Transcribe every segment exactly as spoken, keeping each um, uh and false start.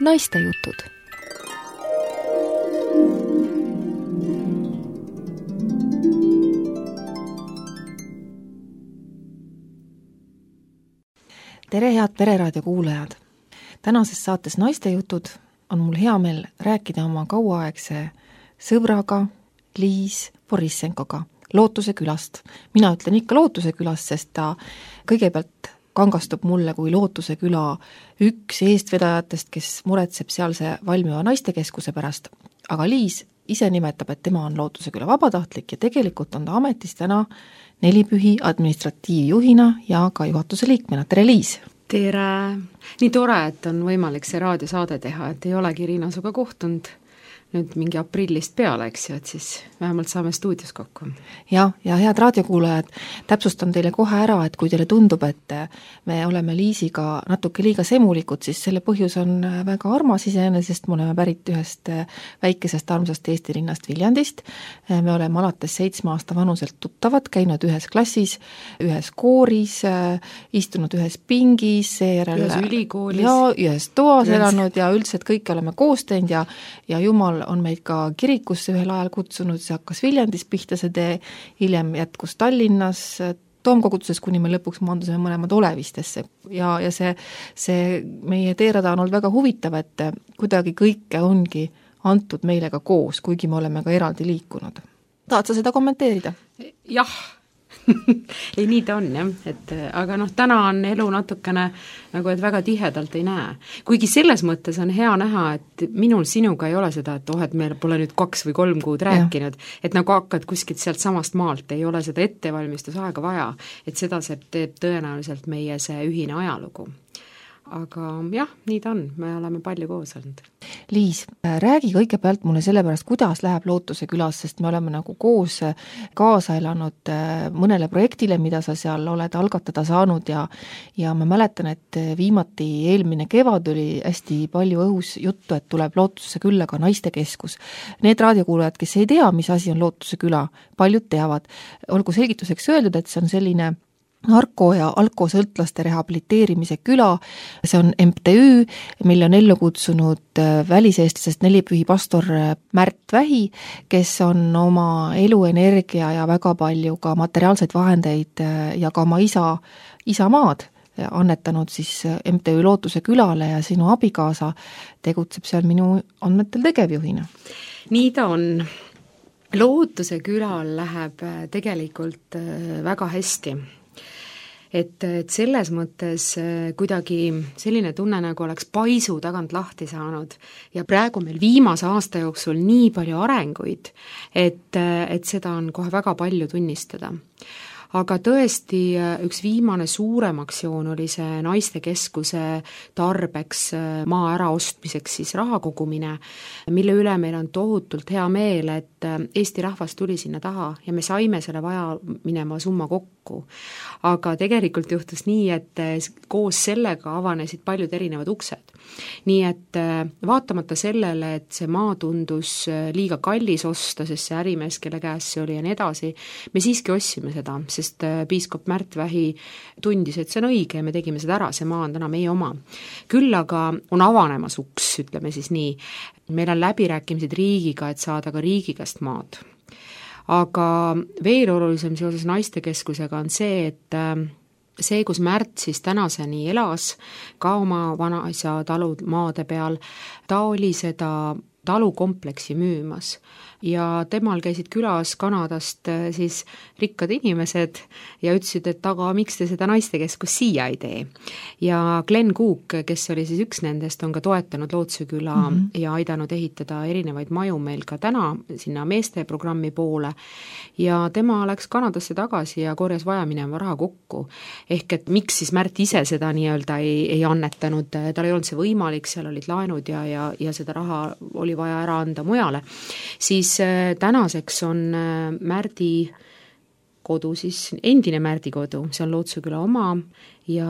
Naistejutud. Tere, head Pereraadio kuulajad! Tänases saates Naistejutud on mul hea meel rääkida oma kauaaegse sõbraga Liis Borissenkoga Lootuse külast. Mina ütlen ikka Lootuse külast, sest ta kõigepealt kangastub mulle kui Lootuse küla üks eestvedajatest, kes muretseb sealse valmiva naistekeskuse pärast. Aga Liis ise nimetab, et tema on Lootuse küla vabatahtlik ja tegelikult on ta ametis täna Nelipühi administratiivjuhina ja ka juhatuse liikmena. Tere, Liis! Tere! Nii tore, et on võimalik see raadiosaade teha, et ei olegi Riina suga kohtunud nüüd mingi aprillist peale, eks ju, et siis vähemalt saame stuudios kokku. Ja, ja head raadiokuulajad, täpsustan teile kohe ära, et kui teile tundub, et me oleme Liisiga natuke liiga semulikud, siis selle põhjus on väga armas iseenesest, me oleme pärit ühest väikesest armsast Eesti linnast Viljandist. Me oleme alates seitsme aasta vanuselt tuttavad, käinud ühes klassis, ühes kooris, istunud ühes pingis, seejärel ühes ülikoolis. Ja ühes toas elanud ja üldiselt kõik oleme koos teinud ja, ja jumal on meid ka kirikusse ühel ajal kutsunud, see hakkas Viljandis pihta see tee, hiljem jätkus Tallinnas, Toomkoguduses, kuni me lõpuks maandusime mõlemad Olevistesse ja, ja see, see meie teerada on olnud väga huvitav, et kuidagi kõike ongi antud meile ka koos, kuigi me oleme ka eraldi liikunud. Tahad sa seda kommenteerida? Jah, ei nii ta on jah, et aga noh, täna on elu natukene nagu, et väga tihedalt ei näe. Kuigi selles mõttes on hea näha, et minul sinuga ei ole seda, et oh, et meil pole nüüd kaks või kolm kuud rääkinud, ja. Et nagu hakkad kuskilt sealt samast maalt, ei ole seda ettevalmistusaega vaja, et seda see teeb tõenäoliselt meie see ühine ajalugu. Aga jah, nii ta on, me oleme palju koos olnud. Liis, räägi kõigepealt mulle selle pärast, kuidas läheb Lootuse külas, sest me oleme nagu koos kaasa elanud mõnele projektile, mida sa seal oled algatada saanud ja, ja ma mäletan, et viimati eelmine kevad oli hästi palju õhus juttu, et tuleb Lootuse külla ka naistekeskus. Need raadiokuulajad, kes ei tea, mis asi on Lootuse küla, paljud teavad. Olgu selgituseks öeldud, et see on selline narko- ja alkosõltlaste rehabiliteerimise küla, see on M T Ü, mille on ellu kutsunud väliseestlasest Nelipühi pastor Märt Vähi, kes on oma eluenergia ja väga palju ka materiaalseid vahendeid ja ka oma isa, isamaad annetanud siis M T Ü Lootuse külale ja sinu abikaasa tegutseb seal minu andmetel tegevjuhina. Nii ta on. Lootuse külal läheb tegelikult väga hästi. Et, et selles mõttes kuidagi selline tunne, nagu oleks paisu tagant lahti saanud ja praegu meil viimase aasta jooksul nii palju arenguid, et, et seda on kohe väga palju tunnistada. Aga tõesti üks viimane suurem aktsioon oli see naistekeskuse tarbeks maa äraostmiseks siis raha kogumine, mille üle meil on tohutult hea meel, et Eesti rahvas tuli sinna taha ja me saime selle vaja minema summa kokku. Aga tegelikult juhtus nii, et koos sellega avanesid paljud erinevad uksed. Nii et vaatamata sellele, et see maa tundus liiga kallis osta, sest see ärimees, kelle käes see oli ja nii edasi, me siiski ostsime seda, sest piiskop Märt Vähi tundis, et see on õige ja me tegime seda ära, see maa on täna meie oma. Küll aga on avanemas uks, ütleme siis nii. Meil on läbirääkimised riigiga, et saada ka riigi käest maad. Aga veel olulisem seoses naistekeskusega on see, et see, kus Märt siis tänaseni elas, ka oma vanaisa talud maade peal, ta oli seda talukompleksi müümas ja temal käisid külas Kanadast siis rikkad inimesed ja ütlesid, et aga miks te seda naistekeskus siia ei tee. Ja Glenn Cook, kes oli siis üks nendest, on ka toetanud Lootuse küla mm-hmm. ja aidanud ehitada erinevaid maju meil ka täna sinna meeste programmi poole ja tema läks Kanadasse tagasi ja korjas vaja minema raha kokku. Ehk et miks siis Märt ise seda nii-öelda ei, ei annetanud, tal ei olnud see võimalik, seal olid laenud ja, ja, ja seda raha oli vaja ära anda mujale, siis tänaseks on Märdi kodu, siis endine Märdi kodu, see on Lootuse küla oma ja,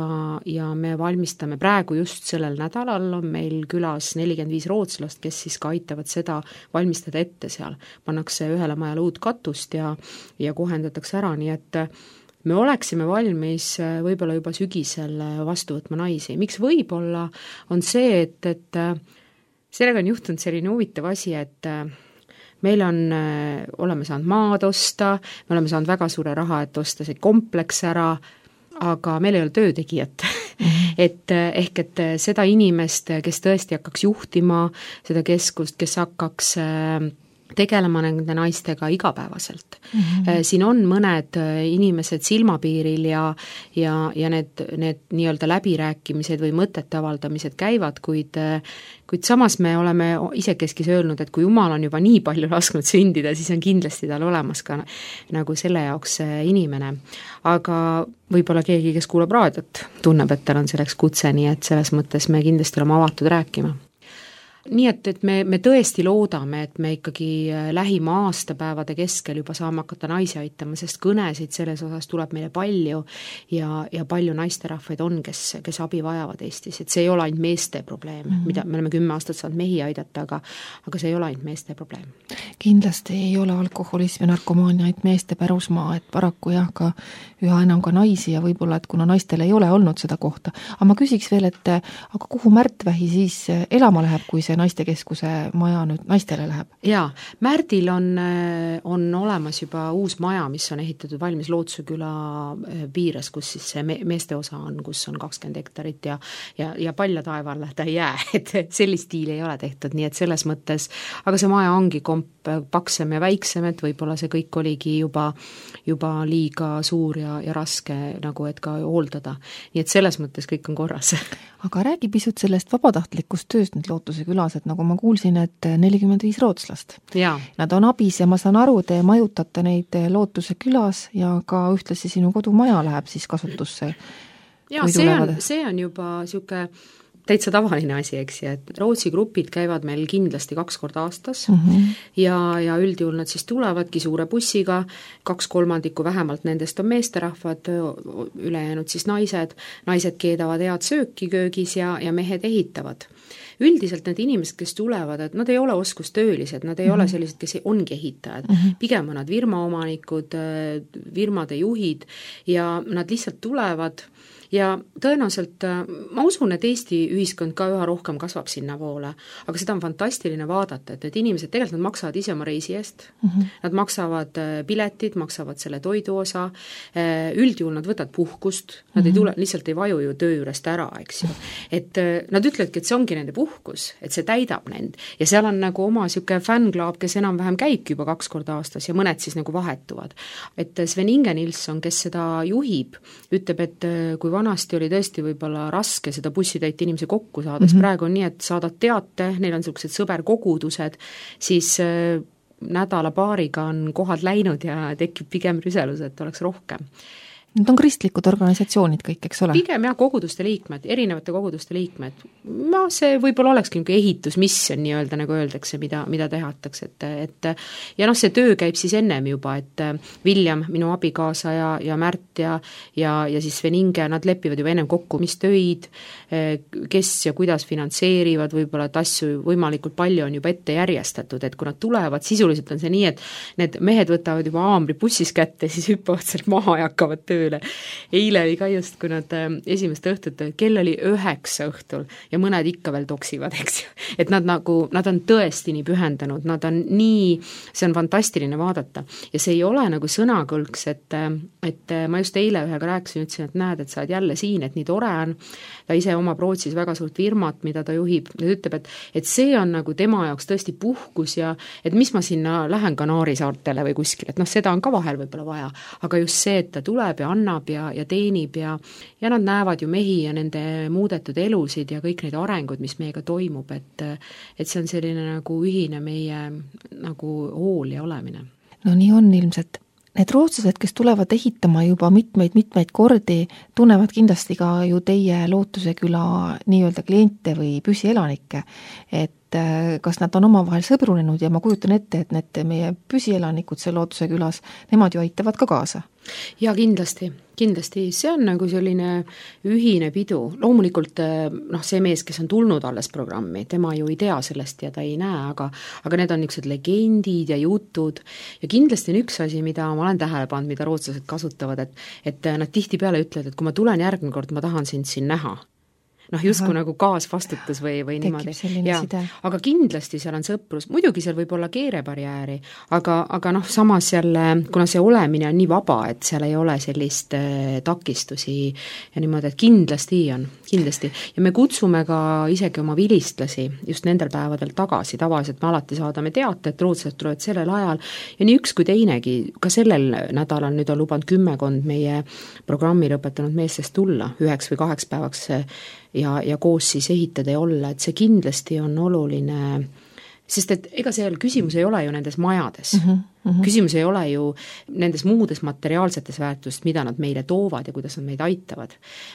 ja me valmistame praegu just sellel nädalal on meil külas nelikümmend viis rootslast, kes siis ka aitavad seda valmistada ette seal. Pannakse ühele majale uut katust ja, ja kohendatakse ära, nii et me oleksime valmis võib-olla juba sügisel vastu võtma naisi. Miks võib-olla on see, et, et sellega on juhtunud selline huvitav asi, et meil on, oleme saanud maad osta, me oleme saanud väga suure raha, et osta see kompleks ära, aga meil ei ole töötegijat mm-hmm. et ehk, et seda inimest, kes tõesti hakkaks juhtima seda keskust, kes hakkaks tegelema nende naistega igapäevaselt. Mm-hmm. Siin on mõned inimesed silmapiiril ja, ja, ja need, need nii-öelda läbirääkimised või mõtete avaldamised käivad, kuid, kuid samas me oleme isekeskis öelnud, et kui Jumal on juba nii palju lasknud sündida, siis on kindlasti tal olemas ka nagu selle jaoks inimene. Aga võib-olla keegi, kes kuulab raadiot, tunneb, et tal on selleks kutse, nii et selles mõttes me kindlasti oleme avatud rääkima. Nii et, et me, me tõesti loodame, et me ikkagi lähima aastapäevade keskel juba saame hakata naisi aitama, sest kõnesid selles osas tuleb meile palju ja, ja palju naisterahvaid on, kes, kes abi vajavad Eestis, et see ei ole ainult meeste probleem, mm-hmm. mida me oleme kümme aastat saanud mehi aidata, aga, aga see ei ole ainult meeste probleem. Kindlasti ei ole alkoholism ja narkomaania ainult meeste pärusmaa, et paraku jah, ka üha enam ka naisi ja võib-olla, et kuna naistel ei ole olnud seda kohta. Aga ma küsiks veel, et aga kuhu Märtvähi siis elama läheb, kui see naistekeskuse maja nüüd naistele läheb? Jaa, Märdil on, on olemas juba uus maja, mis on ehitatud valmis Lootsuse küla piires, kus siis see meeste osa on, kus on kakskümmend hektarit ja, ja, ja palja taevalle ta ei jää, et sellist stiili ei ole tehtud, nii et selles mõttes, aga see maja ongi komp paksem ja väiksem, et võib-olla see kõik oligi juba, juba liiga suur ja, ja raske nagu, et ka hooldada. Nii et selles mõttes kõik on korras. Aga räägi pisut sellest vabatahtlikust tööst nüüd Lootuse külas, et nagu ma kuulsin, et nelikümmend viis rootslast. Ja. Nad on abis ja ma saan aru, te majutate neid Lootuse külas ja ka ühtlasi sinu kodumaja läheb siis kasutusse. Ja see on, see on juba siuke täitsa tavaline asi, eks, et Rootsi grupid käivad meil kindlasti kaks korda aastas mm-hmm. ja, ja üldjuhul nad siis tulevadki suure bussiga, kaks kolmandikku vähemalt nendest on meesterahvad, ülejäänud siis naised, naised keedavad head sööki köögis ja, ja mehed ehitavad. Üldiselt need inimesed, kes tulevad, et nad ei ole oskustöölised, nad ei mm-hmm. ole sellised, kes ongi ehitajad, mm-hmm. pigem on nad firmaomanikud, firmade juhid ja nad lihtsalt tulevad ja tõenäoliselt ma usun, et Eesti ühiskond ka üha rohkem kasvab sinna poole, aga seda on fantastiline vaadata, et need inimesed tegelikult nad maksavad ise oma reisi eest, mm-hmm. nad maksavad piletid, maksavad selle toidu osa, üldjuhul nad võtavad puhkust, nad mm-hmm. ei tule, lihtsalt ei vaju ju töö juurest ära, eks ju. Et nad ütlevadki, et see ongi nende puhkus, et see täidab nend ja seal on nagu oma siuke fännklaab, kes enam-vähem käibki juba kaks korda aastas ja mõned siis nagu vahetuvad. Et Sven Inge Nilsson, kes seda juhib, ütleb, et kui vanasti oli tõesti võib-olla raske seda bussitäit inimesi kokku saada, mm-hmm. praegu on nii, et saadad teate, neil on sellised sõberkogudused, siis nädala paariga on kohad läinud ja tekib pigem rüselus, et oleks rohkem. Need on kristlikud organisatsioonid kõik, eks ole? Pigem jah, koguduste liikmed, erinevate koguduste liikmed. Ma see võib-olla olekski nagu ehitusmission nii-öelda, nagu öeldakse, mida, mida tehatakse, et, et ja noh, see töö käib siis ennem juba, et William, minu abikaasa ja, ja Märt ja, ja, ja siis Sven Inge, nad lepivad juba ennem kokku, mis töid, kes ja kuidas finantseerivad, võib-olla, et asju võimalikult palju on juba ette järjestatud, et kui nad tulevad, sisuliselt on see nii, et need mehed võtavad juba aamri bussis kätte, siis hüppavad sealt maha ja hakkavad töö. Eile oli ka just, kui nad esimest õhtut, kell oli üheksa õhtul ja mõned ikka veel toksivad, eks ju. Et nad nagu, nad on tõesti nii pühendanud, nad on nii, see on fantastiline vaadata. Ja see ei ole nagu sõnakõlks, et, et ma just eile ühega rääkisin, ütlesin, et näed, et sa oled jälle siin, et nii tore on. Ta ise omab Rootsis väga suurt firmat, mida ta juhib. Ja ütleb, et, et see on nagu tema jaoks tõesti puhkus ja et mis ma sinna lähen Kanaari saartele või kuskil, et noh, seda on ka vahel võib-olla vaja. Aga just see, et ta tuleb ja annab ja, ja teenib ja, ja nad näevad ju mehi ja nende muudetud elusid ja kõik neid arengud, mis meiega toimub, et, et see on selline nagu ühine meie nagu hool ja olemine. No nii on ilmselt. Need rootslased, kes tulevad ehitama juba mitmeid-mitmeid kordi, tunnevad kindlasti ka ju teie Lootuse küla nii-öelda kliente või püsielanikke, et kas nad on omavahel sõbrunenud ja ma kujutan ette, et need meie püsielanikud seal Lootuse külas, nemad ju aitavad ka kaasa. Ja kindlasti, kindlasti, see on nagu selline ühine pidu. Loomulikult noh, see mees, kes on tulnud alles programmi, tema ju ei tea sellest ja ta ei näe, aga, aga need on niisugused legendid ja jutud ja kindlasti on üks asi, mida ma olen tähele pannud, mida rootslased kasutavad, et, et nad tihtipeale ütlevad, et kui ma tulen järgmine kord, ma tahan sind siin näha. noh, justkui nagu kaasvastutus või, või niimoodi. Ja, aga kindlasti seal on sõprus, muidugi seal võib olla keerebarjääri, aga, aga noh, samas jälle, kuna see olemine on nii vaba, et seal ei ole sellist äh, takistusi ja niimoodi, et kindlasti on, kindlasti. Ja me kutsume ka isegi oma vilistlasi just nendel päevadel tagasi, tavaliselt me alati saadame teate, et rootslased tulevad sellel ajal ja nii üks kui teinegi, ka sellel nädalal nüüd on lubanud kümmekond meie programmi lõpetanud meestest tulla üheks või kaheks päevaks ja, ja koos siis ehitada ja olla, et see kindlasti on oluline, sest et ega see küsimus ei ole ju nendes majades mm, -hmm. Mm-hmm. Küsimus ei ole ju nendes muudes materiaalsetes väärtust, mida nad meile toovad ja kuidas nad meid aitavad,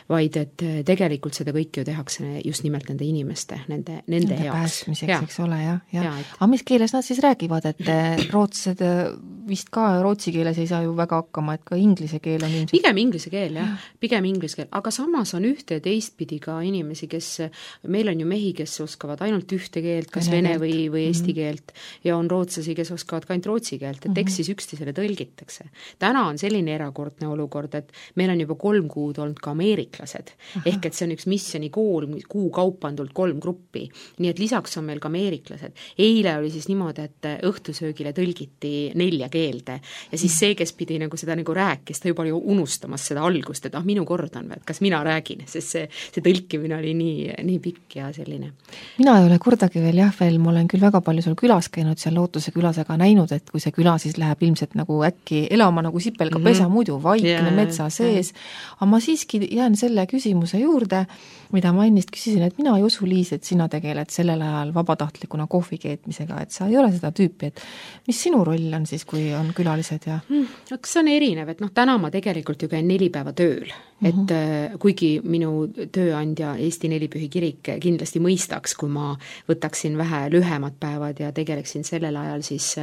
vaid et tegelikult seda kõike ju tehakse just nimelt nende inimeste, nende, nende, nende heaks. Päästmiseks, ja. Eks ole, jah. Ja. Ja, et... aga mis keeles nad siis räägivad, et rootslased vist ka rootsi keeles ei saa ju väga hakkama, et ka inglise keel on ilmselt... Pigem inglise keel, jah, pigem inglise keel, aga samas on ühte ja teistpidi ka inimesi, kes, meil on ju mehi, kes oskavad ainult ühte keelt, kas vene, vene või, või eesti mm-hmm. keelt, ja on rootslasi, kes oskavad ka ainult rootsi keelt, et eks siis üksteisele tõlgitakse. Täna on selline erakordne olukord, et meil on juba kolm kuud olnud ka ameeriklased, Aha. ehk et see on üks missiooni kool, kuu kaupa on tulnud kolm gruppi, nii et lisaks on meil ka ameeriklased. Eile oli siis niimoodi, et õhtusöögile tõlgiti nelja keelde ja siis see, kes pidi nagu seda nagu rääkis, ta juba oli unustamas seda algust, et ah, minu kord on, et kas mina räägin, sest see, see tõlkimine oli nii, nii pikk ja selline. Mina ei ole kordagi veel jah, veel ma olen küll väga palju seal külas käinud, seal Lootuse külas, aga näinud, et kui see küla siis läheb ilmselt nagu äkki elama nagu sipelga pesa mm -hmm. muidu vaikne yeah, metsa sees, aga ma siiski jään selle küsimuse juurde, mida ma ennist küsisin, et mina ei usu, Liis, et sina tegeled sellel ajal vabatahtlikuna kohvi keetmisega, et sa ei ole seda tüüpi, et mis sinu roll on siis, kui on külalised ja mm, aga see on erinev, et noh, täna ma tegelikult ju käin neli päeva tööl, et mm -hmm. kuigi minu tööandja Eesti Nelipühi kirik kindlasti mõistaks, kui ma võtaksin vähe lühemad päevad ja tegeleksin sellel ajal siis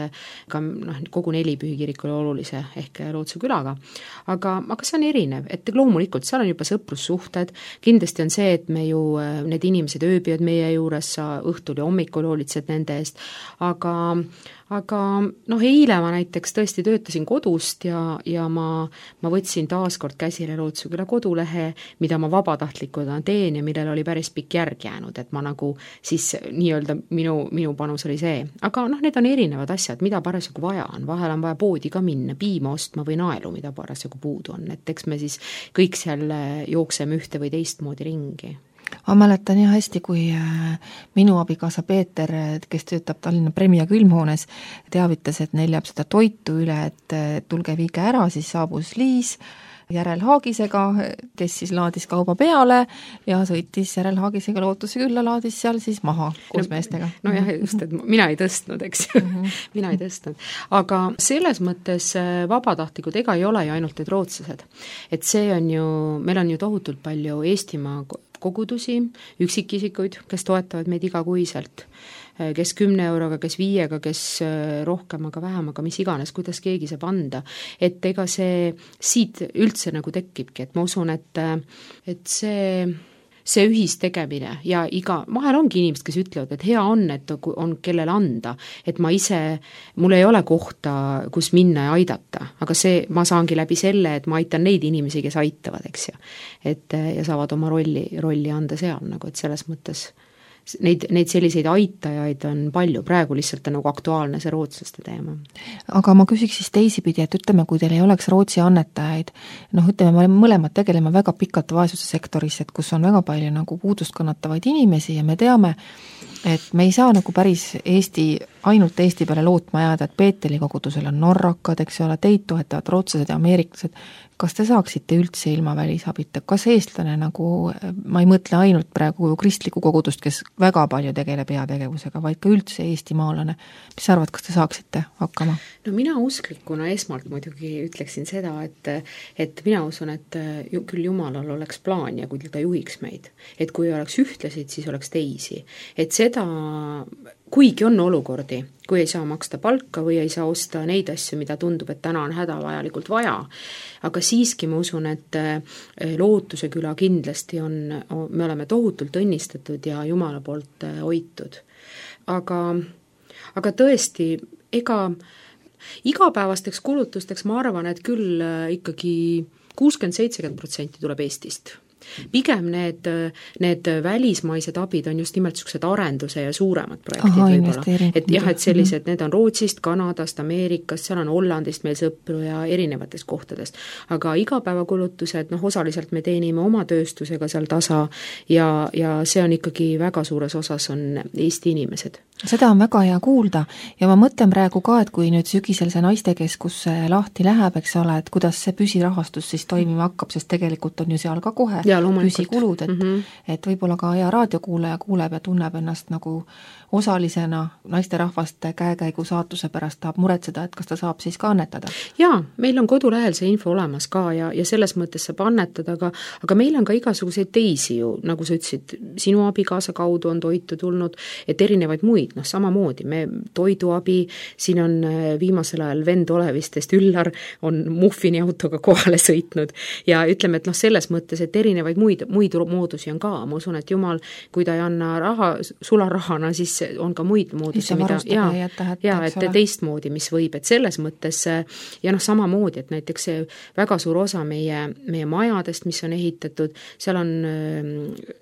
ka noh, kogu Nelipühi kirikule olulise ehk Lootuse külaga, aga, aga see on erinev, et loomulikult seal on juba sõprussuhted, kindlasti on see, et me ju, need inimesed ööbivad meie juures, sa õhtul ja hommikul hoolitsed nende eest, aga aga noh, eile ma näiteks tõesti töötasin kodust ja, ja ma, ma võtsin taaskord käsile Lootuse küla kodulehe, mida ma vabatahtlikuna teen ja millel oli päris pikk järg jäänud, et ma nagu siis nii-öelda minu, minu panus oli see. Aga noh, need on erinevad asjad, mida parasjagu vaja on, vahel on vaja poodi ka minna, piima ostma või naelu, mida parasjagu puudu on, et eks me siis kõik seal jookseme ühte või teistmoodi ringi. Ma mäletan jah hästi, kui minu abikaasa Peeter, kes töötab Tallinna Premia külmhoones, teavitas, et neil jääb seda toitu üle, et tulge viige ära, siis saabus Liis järelhaagisega, kes siis laadis kauba peale ja sõitis järelhaagisega Lootuse külla, laadis seal siis maha koos no, meestega. No jah, just, et mina ei tõstnud, eks ju, mm -hmm. mina ei tõstnud. Aga selles mõttes vabatahtlikud ega ei ole ju ainult need rootslased. Et see on ju, meil on ju tohutult palju Eestimaa kogudusi, üksikisikuid, kes toetavad meid igakuiselt, kes kümne euroga, kes viiega, kes rohkem, aga vähem, aga mis iganes, kuidas keegi saab anda. Et ega see siit üldse nagu tekibki, et ma usun, et, et see, see ühistegemine ja iga, vahel ongi inimesed, kes ütlevad, et hea on, et on kellele anda, et ma ise, mul ei ole kohta, kus minna ja aidata, aga see, ma saangi läbi selle, et ma aitan neid inimesi, kes aitavad, eks ju. Et ja saavad oma rolli, rolli anda seal nagu, et selles mõttes Neid, neid selliseid aitajaid on palju, praegu lihtsalt on nagu aktuaalne see rootslaste teema. Aga ma küsiks siis teisipidi, et ütleme, kui teil ei oleks Rootsi annetajaid, noh ütleme, me mõlemad tegeleme väga pikalt vaesuse sektoris, et kus on väga palju nagu puudust kannatavaid inimesi ja me teame, et me ei saa nagu päris Eesti, ainult Eesti peale lootma jääda, et Peeteli kogudusel on norrakad, eks ole, teid toetavad rootslased ja ameeriklased. Kas te saaksite üldse ilma välisabita? Kas eestlane nagu, ma ei mõtle ainult praegu kristlikku kogudust, kes väga palju tegeleb heategevusega, vaid ka üldse eestimaalane. Mis sa arvad, kas te saaksite hakkama? No mina usklikuna esmalt muidugi ütleksin seda, et, et mina usun, et küll Jumalal oleks plaan ja kui ta juhiks meid. Et kui oleks ühtlasid, siis oleks teisi. Et seda, kuigi on olukordi, kui ei saa maksta palka või ei saa osta neid asju, mida tundub, et täna on hädavajalikult vaja, aga siiski ma usun, et Lootuse küla kindlasti on, me oleme tohutult õnnistatud ja Jumala poolt hoitud. Aga, aga tõesti, ega igapäevasteks kulutusteks ma arvan, et küll ikkagi kuuskümmend seitsekümmend protsenti tuleb Eestist. pigem need, need välismaised abid on just nimelt niisugused arenduse ja suuremad projektid Aha, võib-olla. Et jah, et sellised, need on Rootsist, Kanadast, Ameerikast, seal on Hollandist meil sõpru ja erinevatest kohtadest. Aga igapäevakulutused, noh, osaliselt me teenime oma tööstusega seal tasa ja, ja see on ikkagi väga suures osas on Eesti inimesed. Seda on väga hea kuulda ja ma mõtlen praegu ka, et kui nüüd sügisel see naistekeskus lahti läheb, eks ole, et kuidas see püsirahastus siis toimima hakkab, sest tegelikult on ju seal ka kohe püsikulud, et, mm -hmm. et võib-olla ka hea raadiokuulaja kuuleb ja tunneb ennast nagu osalisena naisterahvaste käekäigu saatuse pärast, tahab muretseda, et kas ta saab siis ka annetada. Jaa, meil on kodulehel see info olemas ka ja, ja selles mõttes saab annetada, aga, aga meil on ka igasuguseid teisi ju, nagu sa ütlesid, sinu abikaasa kaudu on toitu tulnud, et erinevaid muid, noh samamoodi, me toiduabi, siin on viimasel ajal vend Olevistest, Üllar, on muffini autoga kohale sõitnud ja ütleme, et noh, selles mõttes, et erinevaid muid, muid moodusi on ka, ma usun, et jumal, kui ta ei anna raha, sularahana, siis on ka muid moodusi, mida ja, jätta, ja et ole. Teistmoodi, mis võib, et selles mõttes ja noh, samamoodi, et näiteks see väga suur osa meie, meie majadest, mis on ehitatud, seal on äh,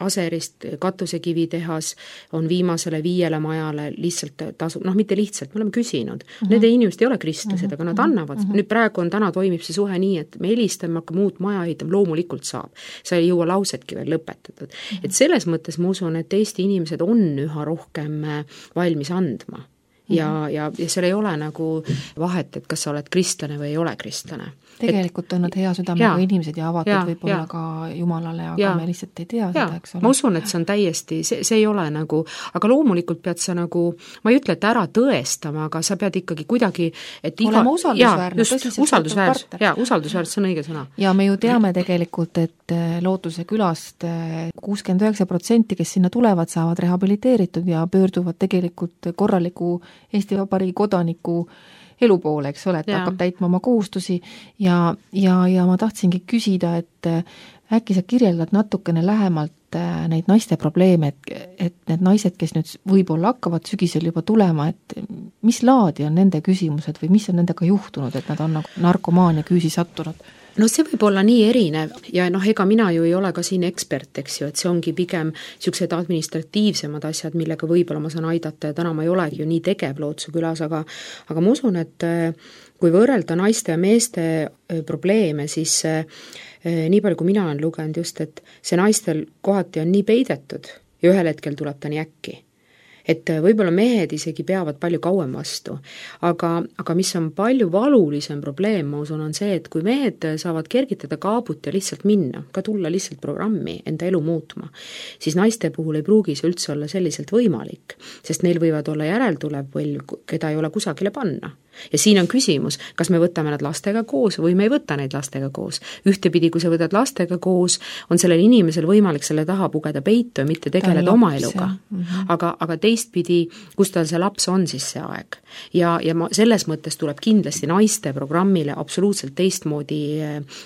Aserist katusekivitehas on viimasele viiele majale lihtsalt tasu, noh mitte lihtsalt, me oleme küsinud, uh-huh. need inimesed ei ole kristlased, uh-huh. aga nad annavad, uh-huh. nüüd praegu on, täna toimib see suhe nii, et me helistame, hakkame uut maja ehitama, loomulikult saab, sa ei jõua lausetki veel lõpetatud, uh-huh. et selles mõttes ma usun, et Eesti inimesed on üha rohkem valmis andma ja, ja, ja seal ei ole nagu vahet, et kas sa oled kristlane või ei ole kristlane. Tegelikult et, on nad hea südamega inimesed ja avatud ja, võib-olla ja. ka Jumalale, aga ja. me lihtsalt ei tea ja. seda, eks ole. Ma usun, et see on täiesti, see, see ei ole nagu, aga loomulikult pead sa nagu, ma ei ütle, et ära tõestama, aga sa pead ikkagi kuidagi, et iga... olema usaldusväärne. Ja, just, usaldusväärne, ja, usaldusväärne, see on õige sõna. Ja me ju teame tegelikult, et Lootuse külast kuuskümmend üheksa protsenti, kes sinna tulevad, saavad rehabiliteeritud ja pöörduvad tegelikult korraliku Eesti Vabariigi kodaniku elu poole, eks ole, et ja. hakkab täitma oma kohustusi ja, ja, ja ma tahtsingi küsida, et äkki sa kirjeldad natukene lähemalt neid naiste probleeme, et, et need naised, kes nüüd võib-olla hakkavad sügisel juba tulema, et mis laadi on nende küsimused või mis on nendega juhtunud, et nad on nagu narkomaania küüsi sattunud? No see võib olla nii erinev ja noh, ega mina ju ei ole ka siin ekspert, eks ju, et see ongi pigem niisugused administratiivsemad asjad, millega võib-olla ma saan aidata ja täna ma ei olegi ju nii tegev Lootuse külas, aga, aga ma usun, et kui võrrelda naiste ja meeste probleeme, siis nii palju, kui mina olen lugenud just, et see naistel kohati on nii peidetud ja ühel hetkel tuleb ta nii äkki. Et võib-olla mehed isegi peavad palju kauem vastu, aga, aga mis on palju valulisem probleem, ma usun, on see, et kui mehed saavad kergitada kaabut ja lihtsalt minna, ka tulla lihtsalt programmi, enda elu muutma, siis naiste puhul ei pruugi see üldse olla selliselt võimalik, sest neil võivad olla järeltulev põlv, keda ei ole kusagile panna. Ja siin on küsimus, kas me võtame nad lastega koos või me ei võta neid lastega koos. Ühtepidi, kui sa võtad lastega koos, on sellel inimesel võimalik selle taha pugeda peitu ja mitte tegeleda oma eluga. Mm-hmm. Aga, aga teistpidi, kus tal see laps on siis see aeg. Ja, ja ma, selles mõttes tuleb kindlasti naiste programmile absoluutselt teistmoodi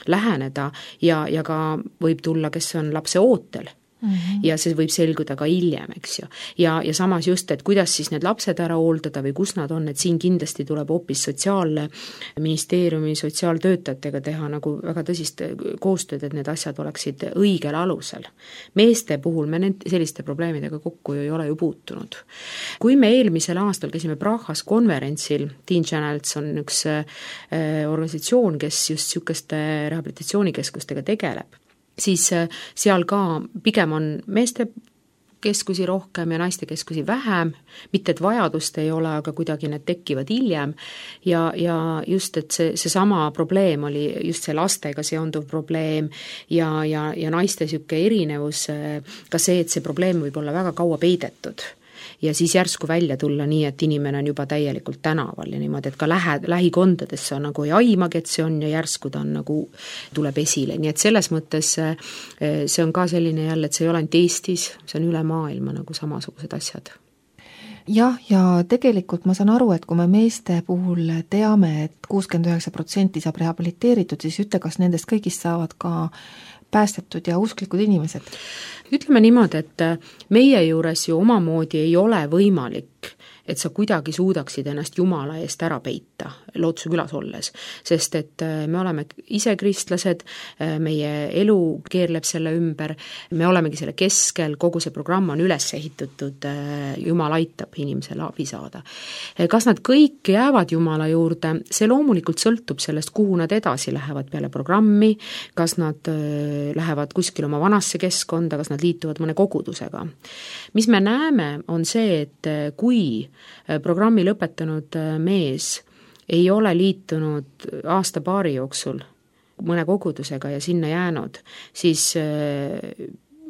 läheneda ja, ja ka võib tulla, kes on lapse ootel. Mm-hmm. Ja see võib selguda ka hiljem, eks ju. Ja, ja samas just, et kuidas siis need lapsed ära hooldada või kus nad on, et siin kindlasti tuleb hoopis sotsiaalministeeriumi sotsiaaltöötajatega teha nagu väga tõsist koostööd, et need asjad oleksid õigel alusel. Meeste puhul me need, selliste probleemidega kokku ju ei ole ju puutunud. Kui me eelmisel aastal käisime Prahas konverentsil, Teen Channels on üks äh, organisatsioon, kes just niisuguste rehabilitatsioonikeskustega tegeleb, siis seal ka pigem on meeste keskusi rohkem ja naiste keskusi vähem, mitte et vajadust ei ole, aga kuidagi need tekivad hiljem ja, ja just, et see, see sama probleem oli just see lastega seonduv probleem ja, ja, ja naiste niisugune erinevus, ka see, et see probleem võib olla väga kaua peidetud ja siis järsku välja tulla nii, et inimene on juba täielikult tänaval ja niimoodi, et ka lähe, lähikondades sa nagu ei aimagi, et see on ja järsku ta on nagu tuleb esile, nii et selles mõttes see on ka selline jälle, et see ei ole ainult Eestis, see on üle maailma nagu samasugused asjad. Jah, ja tegelikult ma saan aru, et kui me meeste puhul teame, et kuuskümmend üheksa protsenti saab rehabiliteeritud, siis ütle, kas nendest kõigist saavad ka päästetud ja usklikud inimesed? Ütleme niimoodi, et meie juures ju omamoodi ei ole võimalik, et sa kuidagi suudaksid ennast Jumala eest ära peita. Lootuse külas olles, sest et me oleme ise kristlased, meie elu keerleb selle ümber, me olemegi selle keskel, kogu see programm on üles ehitatud, Jumal aitab inimesele abi saada. Kas nad kõik jäävad Jumala juurde, see loomulikult sõltub sellest, kuhu nad edasi lähevad peale programmi, kas nad lähevad kuskil oma vanasse keskkonda, kas nad liituvad mõne kogudusega. Mis me näeme, on see, et kui programmi lõpetanud mees ei ole liitunud aasta-paari jooksul mõne kogudusega ja sinna jäänud, siis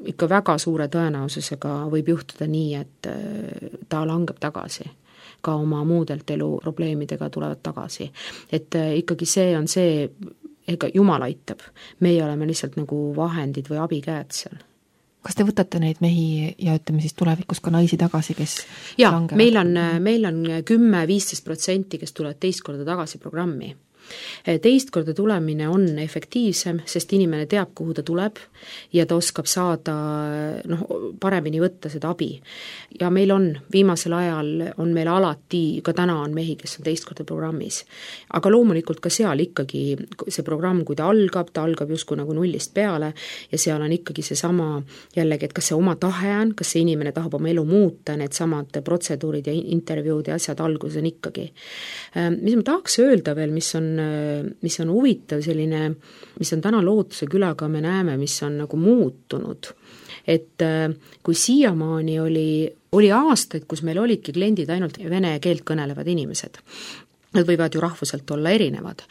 ikka väga suure tõenäosusega võib juhtuda nii, et ta langeb tagasi. Ka oma muudelt elu probleemidega tulevad tagasi. Et ikkagi see on see, ega Jumal aitab. Meie oleme lihtsalt nagu vahendid või abikäed seal. Kas te võtate neid mehi ja ütleme siis tulevikus ka naisi tagasi, kes ja, langevad? meil on, meil on kümme kuni viisteist protsenti, kes tulevad teist korda tagasi programmi. Teist korda tulemine on efektiivsem, sest inimene teab, kuhu ta tuleb ja ta oskab saada noh, paremini võtta seda abi. Ja meil on, viimasel ajal on meil alati, ka täna on mehi, kes on teist korda programmis. Aga loomulikult ka seal ikkagi see programm, kui ta algab, ta algab justkui nagu nullist peale ja seal on ikkagi see sama jällegi, et kas see oma tahe on, kas see inimene tahab oma elu muuta, need samad protseduurid ja intervjuud ja asjad alguses on ikkagi. Mis ma tahaks öelda veel, mis on mis on huvitav selline, mis on täna Lootuse külaga, me näeme, mis on nagu muutunud. Et kui siiamaani oli, oli aastaid, kus meil olidki kliendid ainult vene keelt kõnelevad inimesed. Nad võivad ju rahvuselt olla erinevad.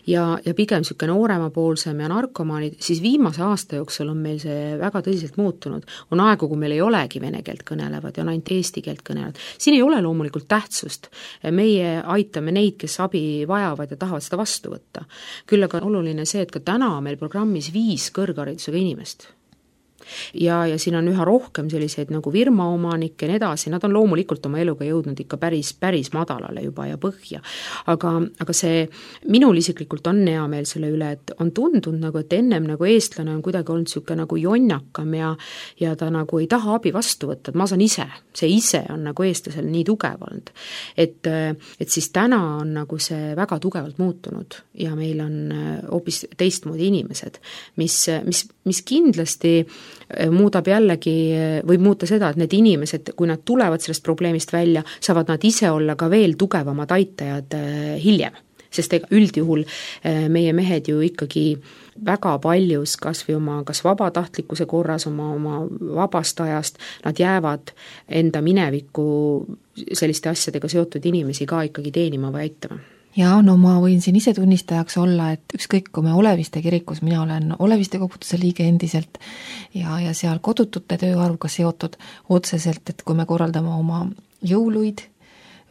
Ja, ja pigem niisugune nooremapoolsem ja narkomaanid, siis viimase aasta jooksul on meil see väga tõsiselt muutunud. On aegu, kui meil ei olegi vene keelt kõnelevad ja on ainult eesti keelt kõnelevad. Siin ei ole loomulikult tähtsust. Meie aitame neid, kes abi vajavad ja tahavad seda vastu võtta. Küll aga on oluline see, et ka täna meil programmis viis kõrgharidusega inimest. Ja, ja siin on üha rohkem selliseid nagu firmaomanikke ja nii edasi, nad on loomulikult oma eluga jõudnud ikka päris, päris madalale juba ja põhja. Aga, aga see, minul isiklikult on hea meel selle üle, et on tundunud nagu, et ennem nagu eestlane on kuidagi olnud niisugune nagu jonnakam ja, ja ta nagu ei taha abi vastu võtta, et ma saan ise, see ise on nagu eestlasel nii tugev olnud. Et, et siis täna on nagu see väga tugevalt muutunud ja meil on hoopis teistmoodi inimesed, mis, mis, mis kindlasti muudab jällegi, võib muuta seda, et need inimesed, kui nad tulevad sellest probleemist välja, saavad nad ise olla ka veel tugevamad aitajad hiljem. Sest ega üldjuhul meie mehed ju ikkagi väga paljus kas või oma kas vabatahtlikkuse korras, oma, oma vabast ajast, nad jäävad enda mineviku selliste asjadega seotud inimesi ka ikkagi teenima või aitama. Ja no ma võin siin ise tunnistajaks olla, et ükskõik kui me Oleviste kirikus, mina olen Oleviste koguduse liige endiselt ja, ja seal kodutute tööarvuga seotud otseselt, et kui me korraldame oma jõuluid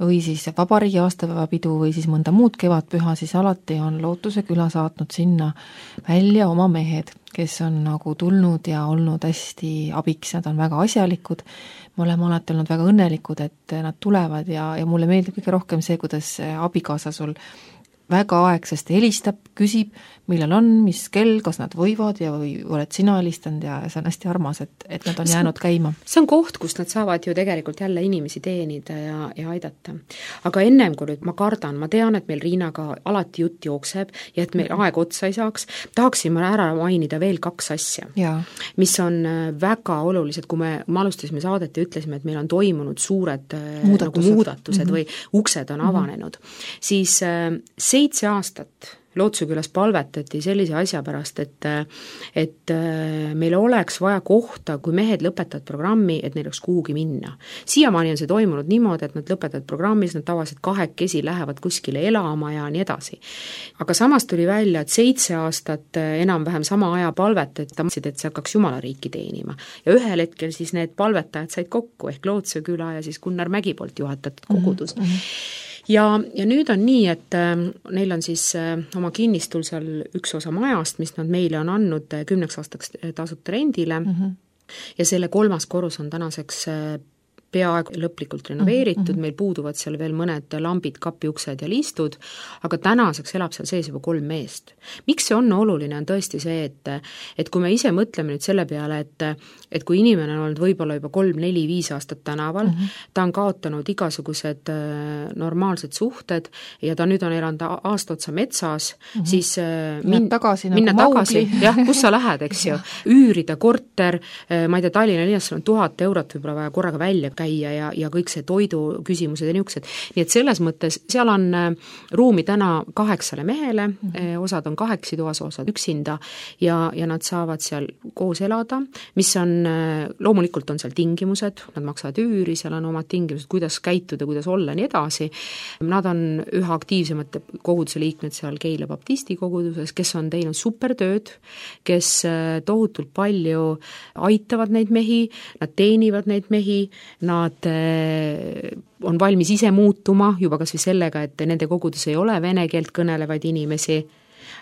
või siis vabariigi aastapäevapidu või siis mõnda muud kevadpüha, siis alati on Lootuse küla saatnud sinna välja oma mehed, kes on nagu tulnud ja olnud hästi abiks, nad on väga asjalikud, me oleme alati olnud väga õnnelikud, et nad tulevad ja, ja mulle meeldib kõige rohkem see, kuidas abikaasa sul väga aegsasti helistab, küsib, millal on, mis kell, kas nad võivad ja või oled sina helistanud ja see on hästi armas, et, et nad on see, jäänud käima. See on koht, kus nad saavad ju tegelikult jälle inimesi teenida ja, ja aidata. Aga ennem kui nüüd ma kardan, ma tean, et meil Riinaga alati jutt jookseb ja et meil mm-hmm. aeg otsa ei saaks, tahaksin ma ära mainida veel kaks asja, ja. mis on väga olulised, kui me, me alustasime saadet ja ütlesime, et meil on toimunud suured muudatused, nagu muudatused mm-hmm. või uksed on mm-hmm. avanenud, siis seitse aastat Lootuse külas palvetati sellise asja pärast, et, et meil oleks vaja kohta, kui mehed lõpetavad programmi, et neil oleks kuhugi minna. Siiamaani on see toimunud niimoodi, et nad lõpetavad programmis, nad tavaliselt kahekesi lähevad kuskile elama ja nii edasi. Aga samas tuli välja, et seitse aastat enam-vähem sama aja palvetati, et see hakkaks Jumala riiki teenima. Ja ühel hetkel siis need palvetajad said kokku, ehk Lootuse küla ja siis Gunnar Mägi poolt juhatatud kogudus. Mm-hmm. Ja, ja nüüd on nii, et äh, neil on siis äh, oma kinnistul seal üks osa majast, mis nad meile on andnud äh, kümneks aastaks tasuta rendile mm-hmm. ja selle kolmas korrus on tänaseks äh, peaaegu lõplikult renoveeritud mm, -hmm. meil puuduvad seal veel mõned lambid, kapiuksed ja liistud, aga tänaseks elab seal sees juba kolm meest. Miks see on oluline, on tõesti see, et et kui me ise mõtleme nüüd selle peale, et et kui inimene on olnud võib-olla juba kolm, neli, viis aastat tänaval mm, -hmm. ta on kaotanud igasugused normaalsed suhted ja ta nüüd on elanud aasta otsa metsas, mm -hmm. siis min, tagasi, minna nagu tagasi, jah, kus sa lähed, eks ju, üürida korter, ma ei tea, Tallinna linnas on tuhat eurot võib-olla vaja korraga välja käia ja, ja kõik see toidu küsimused ja niisugused. Nii et selles mõttes seal on ruumi täna kaheksale mehele, mm -hmm. osad on kaheksi toas, osad üksinda ja, ja nad saavad seal koos elada, mis on, loomulikult on seal tingimused, nad maksavad üüri, seal on omad tingimused, kuidas käituda, kuidas olla, nii edasi. Nad on üha aktiivsemate koguduse liikmed seal Keila baptisti koguduses, kes on teinud supertööd, kes tohutult palju aitavad neid mehi, nad teenivad neid mehi, nad on valmis ise muutuma juba kas või sellega, et nende kogudus ei ole vene keelt kõnelevaid inimesi,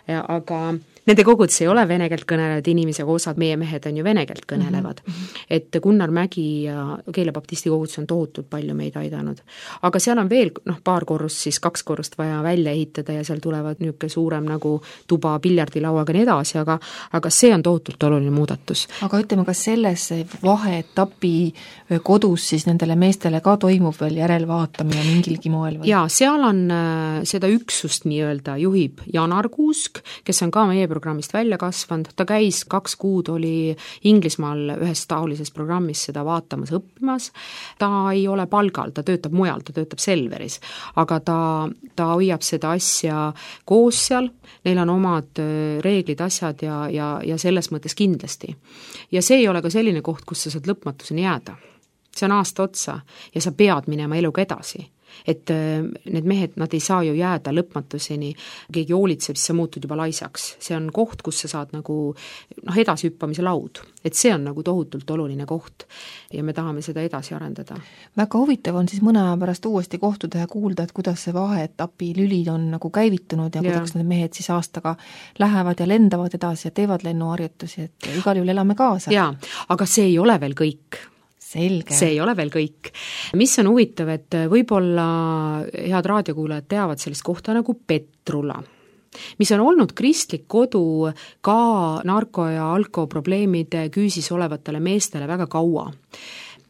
aga nende kogudus ei ole vene keelt kõnelevad inimesi, aga osad meie mehed on ju vene keelt kõnelevad. Mm -hmm. Et Gunnar Mägi ja Keila baptisti kogudus on tohutult palju meid aidanud. Aga seal on veel noh, paar korrust, siis kaks korrust vaja välja ehitada ja seal tulevad niisugune suurem nagu tuba, piljardilauaga nii edasi, aga, aga see on tohutult oluline muudatus. Aga ütleme, kas selles vaheetapi kodus siis nendele meestele ka toimub veel järelvaatamine mingilgi moel? Või? Jaa, seal on äh, seda üksust nii-öelda juhib Janar Kuusk, kes on ka meie programmist välja kasvanud, ta käis kaks kuud, oli Inglismaal ühes taolises programmis seda vaatamas, õppimas, ta ei ole palgal, ta töötab mujal, ta töötab Selveris, aga ta, ta hoiab seda asja koos seal, neil on omad reeglid, asjad ja, ja, ja selles mõttes kindlasti. Ja see ei ole ka selline koht, kus sa saad lõpmatuseni jääda. See on aasta otsa ja sa pead minema eluga edasi. Et need mehed, nad ei saa ju jääda lõpmatuseni, keegi hoolitseb, siis sa muutud juba laisaks. See on koht, kus sa saad nagu noh, edasihüppamise laud. Et see on nagu tohutult oluline koht ja me tahame seda edasi arendada. Väga huvitav on siis mõne aja pärast uuesti kohtuda ja kuulda, et kuidas see vaheetapi lülid on nagu käivitunud ja, ja kuidas need mehed siis aastaga lähevad ja lendavad edasi ja teevad lennuharjutusi, et igal juhul elame kaasa. Jaa, aga see ei ole veel kõik. Selge. See ei ole veel kõik. Mis on huvitav, et võib-olla head raadiokuulajad teavad sellist kohta nagu Petrula, mis on olnud kristlik kodu ka narko- ja alkoprobleemide küüsis olevatele meestele väga kaua.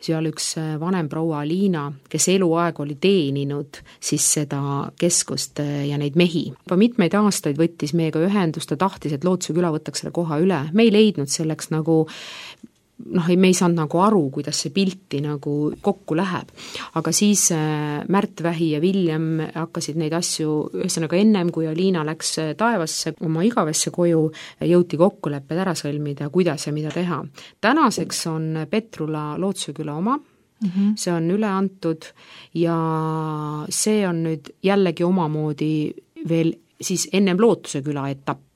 Seal üks vanem proua Liina, kes eluaeg oli teeninud siis seda keskust ja neid mehi. Juba mitmeid aastaid võttis meiega ühendust ja tahtis, et Lootuse küla võtaks selle koha üle. Me ei leidnud selleks nagu noh, me ei saanud nagu aru, kuidas see pilti nagu kokku läheb. Aga siis Märt Vähi ja Viljem hakkasid neid asju, ühesõnaga ennem, kui Liina läks taevasse oma igavesse koju, jõuti kokkulepped ära sõlmida, kuidas ja mida teha. Tänaseks on Petrula Lootuse küla oma, mm-hmm. see on üle antud ja see on nüüd jällegi omamoodi veel siis ennem Lootuse küla etapp.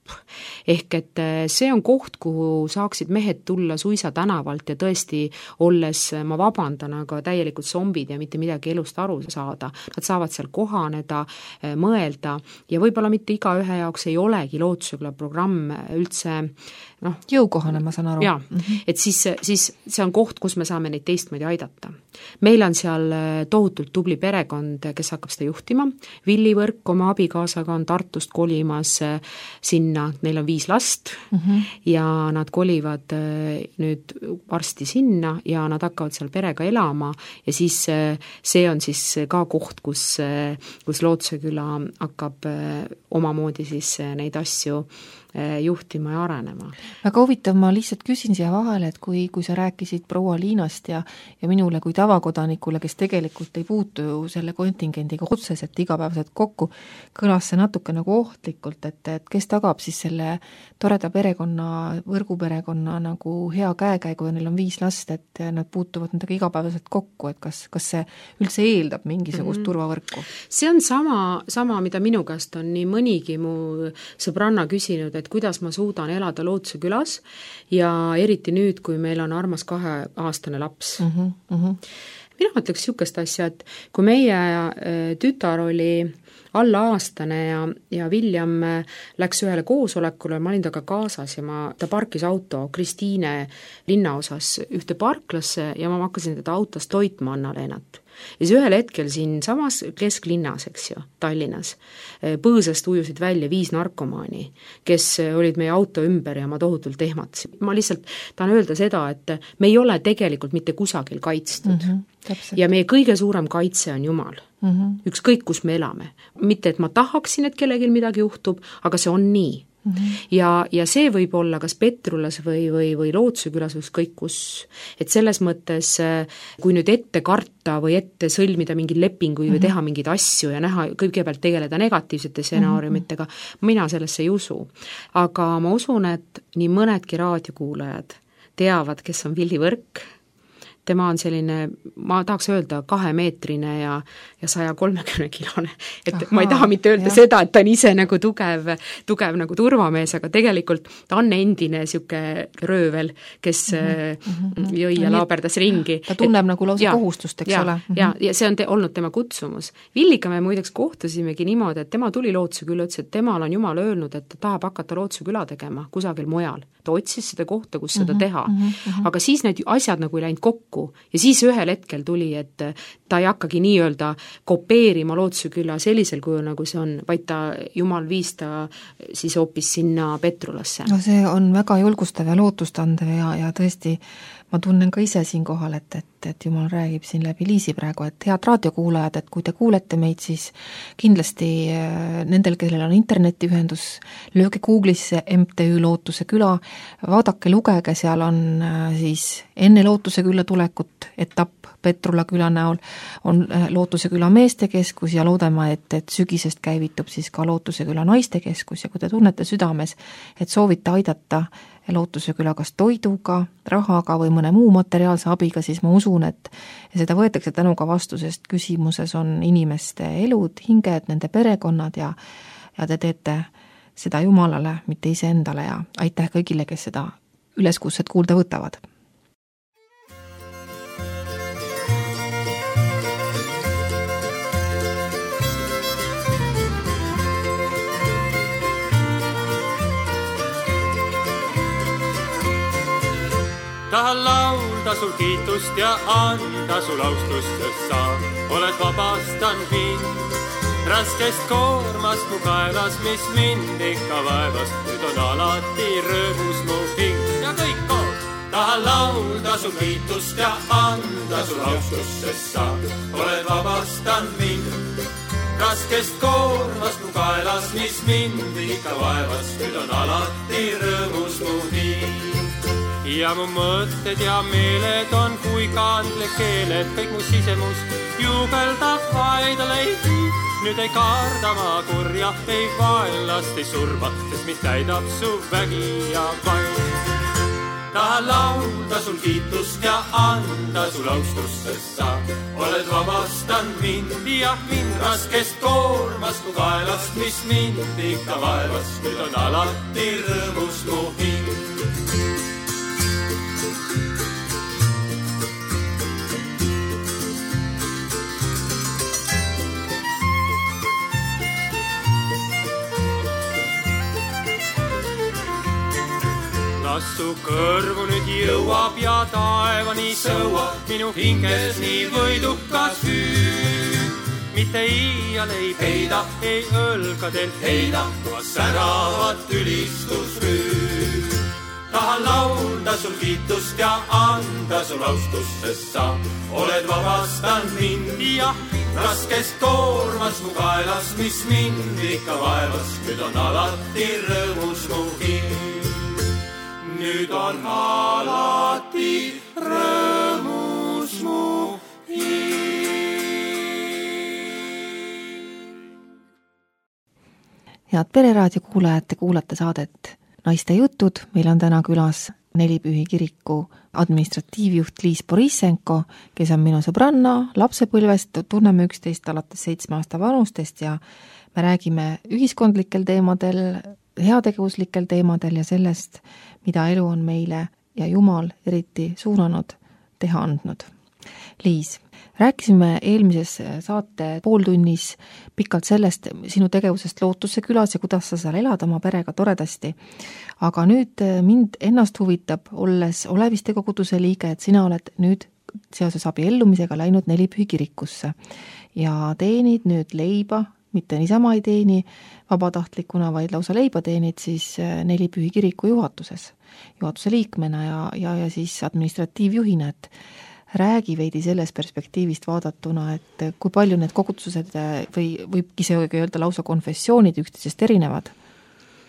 Ehk et see on koht, kuhu saaksid mehed tulla suisa tänavalt ja tõesti olles, ma vabandan, aga täielikult zombid ja mitte midagi elust aru saada. Nad saavad seal kohaneda, mõelda ja võib-olla mitte igaühe jaoks ei olegi Lootusegla programm üldse noh, jõukohane, ma saan aru. Jaa, mm-hmm. et siis, siis see on koht, kus me saame neid teistmoodi aidata. Meil on seal tohutult tubli perekond, kes hakkab seda juhtima. Villi Võrk oma abikaasaga on Tartust kolimas sinna, neil on viis last mm-hmm. ja nad kolivad nüüd varsti sinna ja nad hakkavad seal perega elama ja siis see on siis ka koht, kus, kus Lootuse küla hakkab omamoodi siis neid asju juhtima ja arenema. Väga huvitav, ma lihtsalt küsin siia vahele, et kui, kui sa rääkisid proua Liinast ja, ja minule kui tavakodanikule, kes tegelikult ei puutu selle kontingendiga otseselt igapäevaselt kokku, kõlas see natuke nagu ohtlikult, et, et kes tagab siis selle toreda perekonna, võrguperekonna nagu hea käekäigu ja neil on viis last, et nad puutuvad nendega igapäevaselt kokku, et kas, kas see üldse eeldab mingisugust mm-hmm. turvavõrku? See on sama, sama, mida minu käest on nii mõnigi mu sõbranna küsinud, et kuidas ma suudan elada Lootuse külas ja eriti nüüd, kui meil on armas kaheaastane laps. Mm-hmm. Mina mõtleks niisugust asja, et kui meie tütar oli alla aastane ja, ja William läks ühele koosolekule, ma olin taga kaasas ja ma, ta parkis auto Kristiine linnaosas ühte parklasse ja ma hakkasin teda autos toitma Anna-Leenat. Ja siis ühel hetkel siin samas kesklinnas, eks ju, Tallinnas, põõsast ujusid välja viis narkomaani, kes olid meie auto ümber ja ma tohutult ehmatasin. Ma lihtsalt tahan öelda seda, et me ei ole tegelikult mitte kusagil kaitstud. Mm-hmm, ja meie kõige suurem kaitse on Jumal. Mm-hmm. Ükskõik, kus me elame. Mitte, et ma tahaksin, et kellelgi midagi juhtub, aga see on nii. Mm-hmm. Ja, ja see võib olla kas Petrulas või, või, või Lootsuse külas või kõik kus, et selles mõttes, kui nüüd ette karta või ette sõlmida mingi lepingu või teha mingeid asju ja näha, kõigepealt tegeleda negatiivsete stsenaariumitega, mina sellesse ei usu. Aga ma usun, et nii mõnedki raadiokuulajad teavad, kes on Villi Võrk. Tema on selline, ma tahaks öelda, kahemeetrine ja, ja saja kolmekümne kilone. Et Aha, ma ei taha mitte öelda jah. Seda, et ta on ise nagu tugev, tugev nagu turvamees, aga tegelikult ta on endine siuke röövel, kes mm-hmm. jõi ja laaberdas ringi. Ta tunneb et, nagu lausa ja, kohustust, eks ja, ole. Mm-hmm. Ja, ja see on te, olnud tema kutsumus. Villika me muideks kohtusimegi niimoodi, et tema tuli Lootsuse külla, ütles, et temal on Jumal öelnud, et ta tahab hakata Lootsuse küla tegema kusagil mujal. Ta otsis seda kohta, kus mm-hmm. seda teha. Mm-hmm. Aga siis need asjad nagu ei läinud kokku. Ja siis ühel hetkel tuli, et ta ei hakkagi nii-öelda kopeerima Lootsuse küla sellisel kujul, nagu see on, vaid ta, Jumal viis ta siis hoopis sinna Petrulasse. No see on väga julgustav ja lootustandev ja, ja tõesti ma tunnen ka ise siin kohal, et, et, et Jumal räägib siin läbi Liisi praegu, et head raadiokuulajad, et kui te kuulete meid, siis kindlasti nendel, kellel on internetiühendus, lööge Google'isse M T Ü Lootuse küla, vaadake, lugege, seal on siis enne Lootuse külla tulekut etapp Petrula küla näol, on Lootuse küla meestekeskus ja loodame, et, et sügisest käivitub siis ka Lootuse küla naistekeskus ja kui te tunnete südames, et soovite aidata Lootuse küla kas toiduga, rahaga või mõne muu materiaalse abiga, siis ma usun, et seda võetakse tänuga vastu, sest küsimuses on inimeste elud, hinged, nende perekonnad ja, ja te teete seda Jumalale, mitte iseendale ja aitäh kõigile, kes seda üleskutset kuulda võtavad. Tahan laulda sul kiitust ja anda sul austust, sest sa oled vabastanud mind raskest koormast mu kaelas, mis mind ikka vaevas. Nüüd on alati rõõmus mu hing ja kõik koos. Tahan laulda sul kiitust ja anda sul austust, sest sa oled vabastanud mind raskest koormast mu kaelas, mis mind ikka vaevas. Nüüd on alati rõõmus mu hing. Ja mu mõtted ja meeled on kui kandle keeled, kõik mu sisemus juubeldab vaida leidi. Nüüd ei karda ma kurja, ei vaenlast, ei surma, sest mind täidab su vägi ja vaim. Tahan laulda sul kiitust ja anda sul austust, sest sa oled vabastanud mind ja mind raskest koormast mu kaelast, mis mind ikka vaevas. Nüüd on alati rõõmus mu hing. Kas su kõrvu nüüd jõuab ja taevani sõuab minu hinges nii võidukas hüüd. Mitte iial ei peida, ei õlgadelt heida, ma säravat ülistusrüüd. Tahan laulda sul kiitust ja anda sul austust, sest sa oled vabastanud mind ja raskest koormast mu kaelas, mis mind ikka vaevas. Nüüd on alati rõõmus mu hing. Nüüd on alati rõõmus mu hing. Head Pereraadio kuulajad, te kuulate saadet Naiste jutud. Meil on täna külas Nelipühi kiriku administratiivjuht Liis Borissenko, kes on minu sõbranna lapsepõlvest, tunneme üksteist alates seitsme aasta vanustest ja me räägime ühiskondlikel teemadel, heategevuslikel teemadel ja sellest, mida elu on meile ja Jumal eriti suunanud teha andnud. Liis, rääkisime eelmises saate pooltunnis pikalt sellest sinu tegevusest Lootuse külas ja kuidas sa seal elad oma perega toredasti. Aga nüüd mind ennast huvitab, olles Oleviste koguduse liige, et sina oled nüüd seoses abiellumisega läinud Nelipühi kirikusse ja teenid nüüd leiba, mitte niisama ei teeni vabatahtlikuna, vaid lausa leiba teenid siis Nelipühi kiriku juhatuses, juhatuse liikmena ja, ja, ja siis administratiivjuhina, et räägi veidi selles perspektiivist vaadatuna, et kui palju need kogudused või võibki see öelda lausa konfessioonid üksteisest erinevad?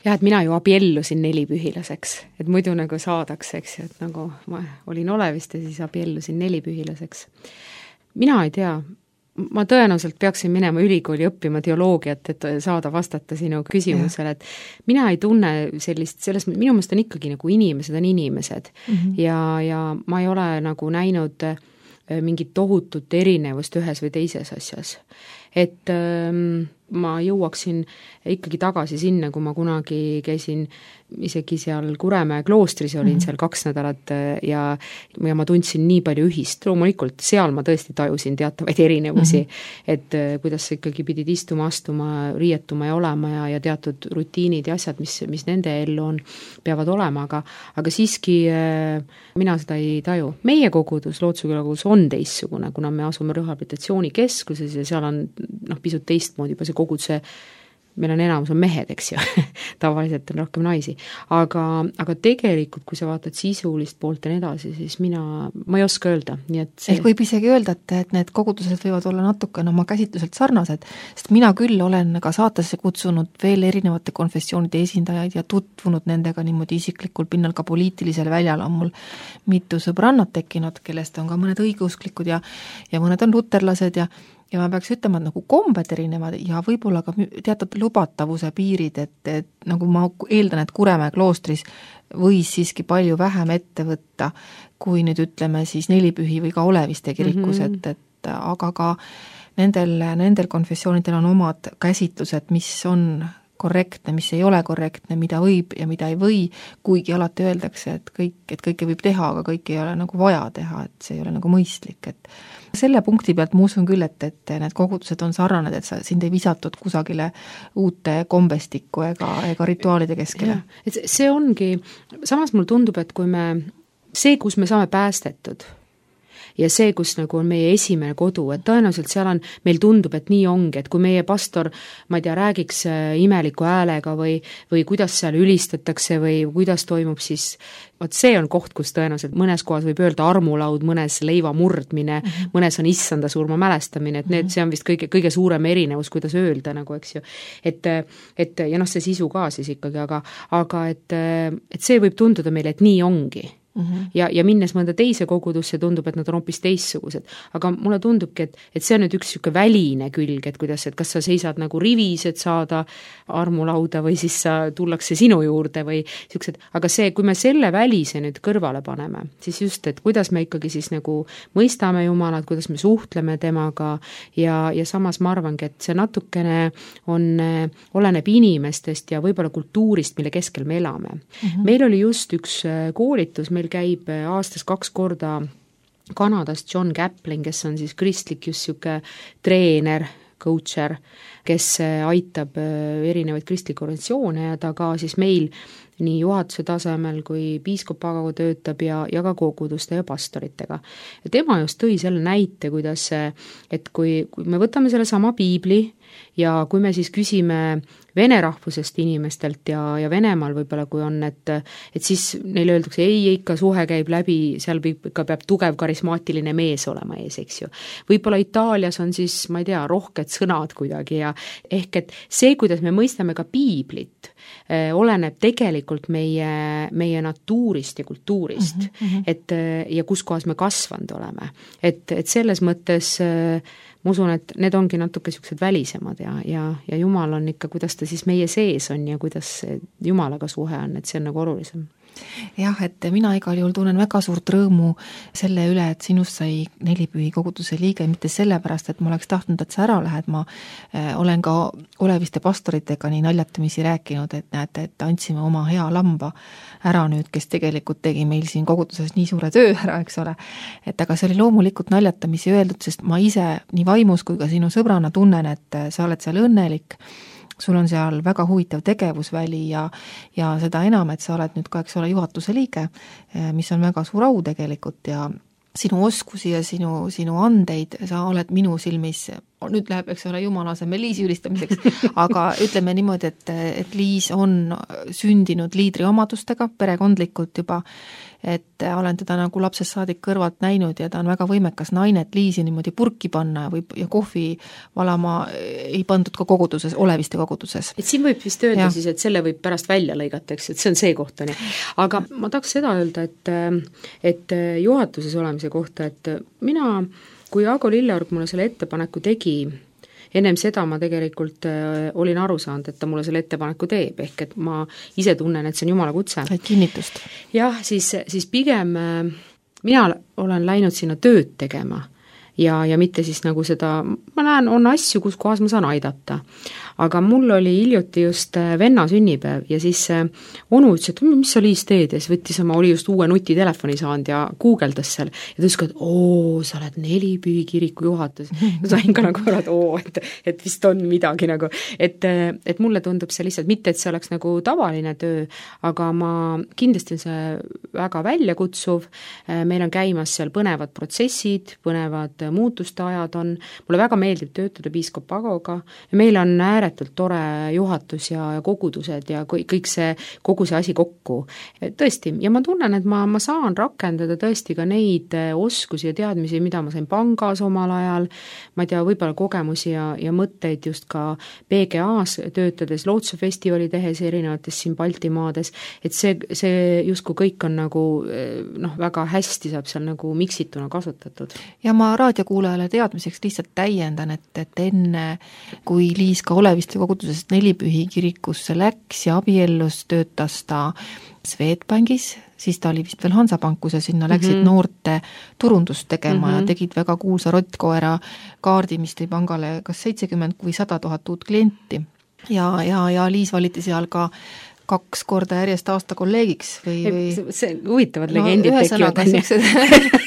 Jah, et mina ju abiellusin nelipühilaseks, et muidu nagu saadakse, eks ju, et nagu ma olin Oleviste, siis abiellusin nelipühilaseks. Mina ei tea, ma tõenäoliselt peaksin minema ülikooli õppima teoloogiat, et saada vastata sinu küsimusele, et mina ei tunne sellist, selles, minu meelest on ikkagi nagu inimesed on inimesed mm -hmm. ja, ja ma ei ole nagu näinud mingit tohutut erinevust ühes või teises asjas. Et ähm, ma jõuaksin ikkagi tagasi sinna, kui ma kunagi käisin isegi seal Kuremäe kloostris, olin mm-hmm. seal kaks nädalat ja, ja ma tundsin nii palju ühist. Loomulikult seal ma tõesti tajusin teatavaid erinevusi, mm-hmm. et kuidas sa ikkagi pidid istuma, astuma, riietuma ja olema ja, ja teatud rutiinid ja asjad, mis, mis nende ellu on, peavad olema, aga, aga siiski äh, mina seda ei taju. Meie kogudus, Lootuse küla kogudus on teistsugune, kuna me asume rehabilitatsioonikeskuses ja seal on noh, pisut teistmoodi juba see koguduse, meil on enamus on mehed, eks ju, tavaliselt on rohkem naisi, aga, aga tegelikult, kui sa vaatad sisulist poolt ja nii edasi, siis mina, ma ei oska öelda, nii et see... ehk võib isegi öelda, et, et need kogudused võivad olla natukene oma käsitluselt sarnased, sest mina küll olen ka saatesse kutsunud veel erinevate konfessioonide esindajaid ja tutvunud nendega niimoodi isiklikul pinnal, ka poliitilisel väljal on mul mitu sõbrannat tekkinud, kellest on ka mõned õigeusklikud ja, ja mõned on luterlased ja ja ma peaks ütlema, et nagu kombed erinevad ja võib-olla ka teatud lubatavuse piirid, et, et nagu ma eeldan, et Kuremäe kloostris võis siiski palju vähem ette võtta, kui nüüd ütleme siis Nelipühi või ka Oleviste kirikus, mm-hmm. et, et aga ka nendel, nendel konfessioonidel on omad käsitlused, mis on korrektne, mis ei ole korrektne, mida võib ja mida ei või, kuigi alati öeldakse, et kõik, et kõike võib teha, aga kõike ei ole nagu vaja teha, et see ei ole nagu mõistlik, et selle punkti pealt ma usun küll, et, et need kogudused on sarnaned, et sa, sind ei visatud kusagile uute kombestikku ega, ega rituaalide keskele. Et see ongi, samas mul tundub, et kui me, see, kus me saame päästetud, ja see, kus nagu on meie esimene kodu, et tõenäoliselt seal on, meil tundub, et nii ongi, et kui meie pastor, ma ei tea, räägiks imeliku häälega või, või kuidas seal ülistatakse või kuidas toimub, siis vot see on koht, kus tõenäoliselt mõnes kohas võib öelda armulaud, mõnes leiva murdmine, mm -hmm. mõnes on issanda surma mälestamine, et need, see on vist kõige, kõige suurem erinevus, kuidas öelda, nagu eks ju. Et, et ja noh, see sisu ka siis ikkagi, aga, aga et, et see võib tunduda meile, et nii ongi. Mm-hmm. Ja, ja minnes mõnda teise kogudusse tundub, et nad on hoopis teistsugused. Aga mulle tundubki, et, et see on nüüd üks siuke väline külg, et kuidas, et kas sa seisad nagu rivis, et saada armulauda või siis sa tullakse sinu juurde või siuksed, aga see, kui me selle välise nüüd kõrvale paneme, siis just, et kuidas me ikkagi siis nagu mõistame Jumalat, kuidas me suhtleme temaga ja, ja samas ma arvangi, et see natukene on, oleneb inimestest ja võib-olla kultuurist, mille keskel me elame. Mm-hmm. Meil oli just üks koolitus, meil käib aastas kaks korda Kanadast John Kaplan, kes on siis kristlik just siuke treener, coacher, kes aitab erinevaid kristlikke organisatsioone ja ta ka siis meil nii juhatuse tasemel kui piiskopaga töötab ja, ja ka koguduste ja pastoritega. Ja tema just tõi selle näite, kuidas, et kui, kui me võtame selle sama piibli ja kui me siis küsime vene rahvusest inimestelt ja, ja Venemaal võib-olla kui on, et, et siis neile öeldakse, ei, ikka suhe käib läbi, seal ikka peab tugev karismaatiline mees olema ees, eks ju. Võib-olla Itaalias on siis, ma ei tea, rohked sõnad kuidagi ja ehk et see, kuidas me mõistame ka piiblit, eh, oleneb tegelikult meie, meie natuurist ja kultuurist, mm-hmm. et ja kus kohas me kasvanud oleme. Et, et selles mõttes eh, ma usun, et need ongi natuke siuksed välisemad ja, ja, ja Jumal on ikka, kuidas ta siis meie sees on ja kuidas Jumalaga suhe on, et see on nagu olulisem. jah, et mina igal juhul tunnen väga suurt rõõmu selle üle, et sinust sai Nelipühi koguduse liige, mitte sellepärast, et ma oleks tahtnud, et sa ära lähed, ma äh, olen ka oleviste pastoritega nii naljatamisi rääkinud, et näete, et andsime oma hea lamba ära nüüd, kes tegelikult tegi meil siin koguduses nii suure töö ära, eks ole. Et aga see oli loomulikult naljatamisi öeldud, sest ma ise nii vaimus kui ka sinu sõbrana tunnen, et sa oled seal õnnelik, sul on seal väga huvitav tegevusväli ja, ja seda enam, et sa oled nüüd ka, eks ole, juhatuse liige, mis on väga suur au tegelikult ja sinu oskusi ja sinu, sinu andeid, sa oled minu silmis, nüüd läheb, eks ole, jumala asemel Liisi ülistamiseks, aga ütleme niimoodi, et, et Liis on sündinud liidri omadustega, perekondlikult juba, et olen teda nagu lapsest saadik kõrvalt näinud ja ta on väga võimekas naine, et Liisi niimoodi purki panna või, ja kohvi valama ei pandud ka koguduses, oleviste koguduses. Et siin võib vist öelda ja. Siis, et selle võib pärast välja lõigata, eks, et see on see koht, on. Aga ma tahaks seda öelda, et, et juhatuses olemise kohta, et mina, kui Aago Lilleorg mulle selle ettepaneku tegi, ennem seda ma tegelikult äh, olin aru saanud, et ta mulle selle ettepaneku teeb, ehk et ma ise tunnen, et see on jumala kutse. Et kinnitust. Jah, siis, siis pigem äh, mina olen läinud sinna tööd tegema ja, ja mitte siis nagu seda, ma näen, on asju, kus kohas ma saan aidata. Aga mul oli hiljuti just venna sünnipäev ja siis onu ütles, et mis sa Liis teed ja siis võttis oma, oli just uue nutitelefoni saanud ja guugeldas seal ja ta ütles, et oo, sa oled Nelipühi kiriku juhatus. Ja sain ka nagu arvad, oo, et, et vist on midagi nagu, et, et mulle tundub see lihtsalt, mitte et see oleks nagu tavaline töö, aga ma kindlasti on see väga väljakutsuv, meil on käimas seal põnevad protsessid, põnevad muutuste ajad on, mulle väga meeldib töötada piiskop Agoga ja meil on ääretult tore juhatus ja kogudused ja kõik see, kogu see asi kokku. Tõesti, ja ma tunnen, et ma, ma saan rakendada tõesti ka neid oskusi ja teadmisi, mida ma sain pangas omal ajal, ma ei tea, võib-olla kogemusi ja, ja mõtteid just ka P G A-s töötades, Lootsefestivali tehes erinevates siin Baltimaades, et see, see justkui kõik on nagu noh, väga hästi saab seal nagu miksituna kasutatud. Ja ma raadiokuulajale teadmiseks lihtsalt täiendan, et, et enne kui Liis ka oleviste kogudusest Nelipühi kirikusse läks ja abiellus, töötas ta Swedbankis, siis ta oli vist veel Hansapankus ja sinna läksid mm-hmm. noorte turundust tegema mm-hmm. ja tegid väga kuulsa rottkoera kaardi, mis tõi pangale kas seitsekümmend või sada tuhat uut klienti. Ja, ja, ja Liis valiti seal ka kaks korda järjest aasta kolleegiks või, või... see huvitavad no, legendid tekivad.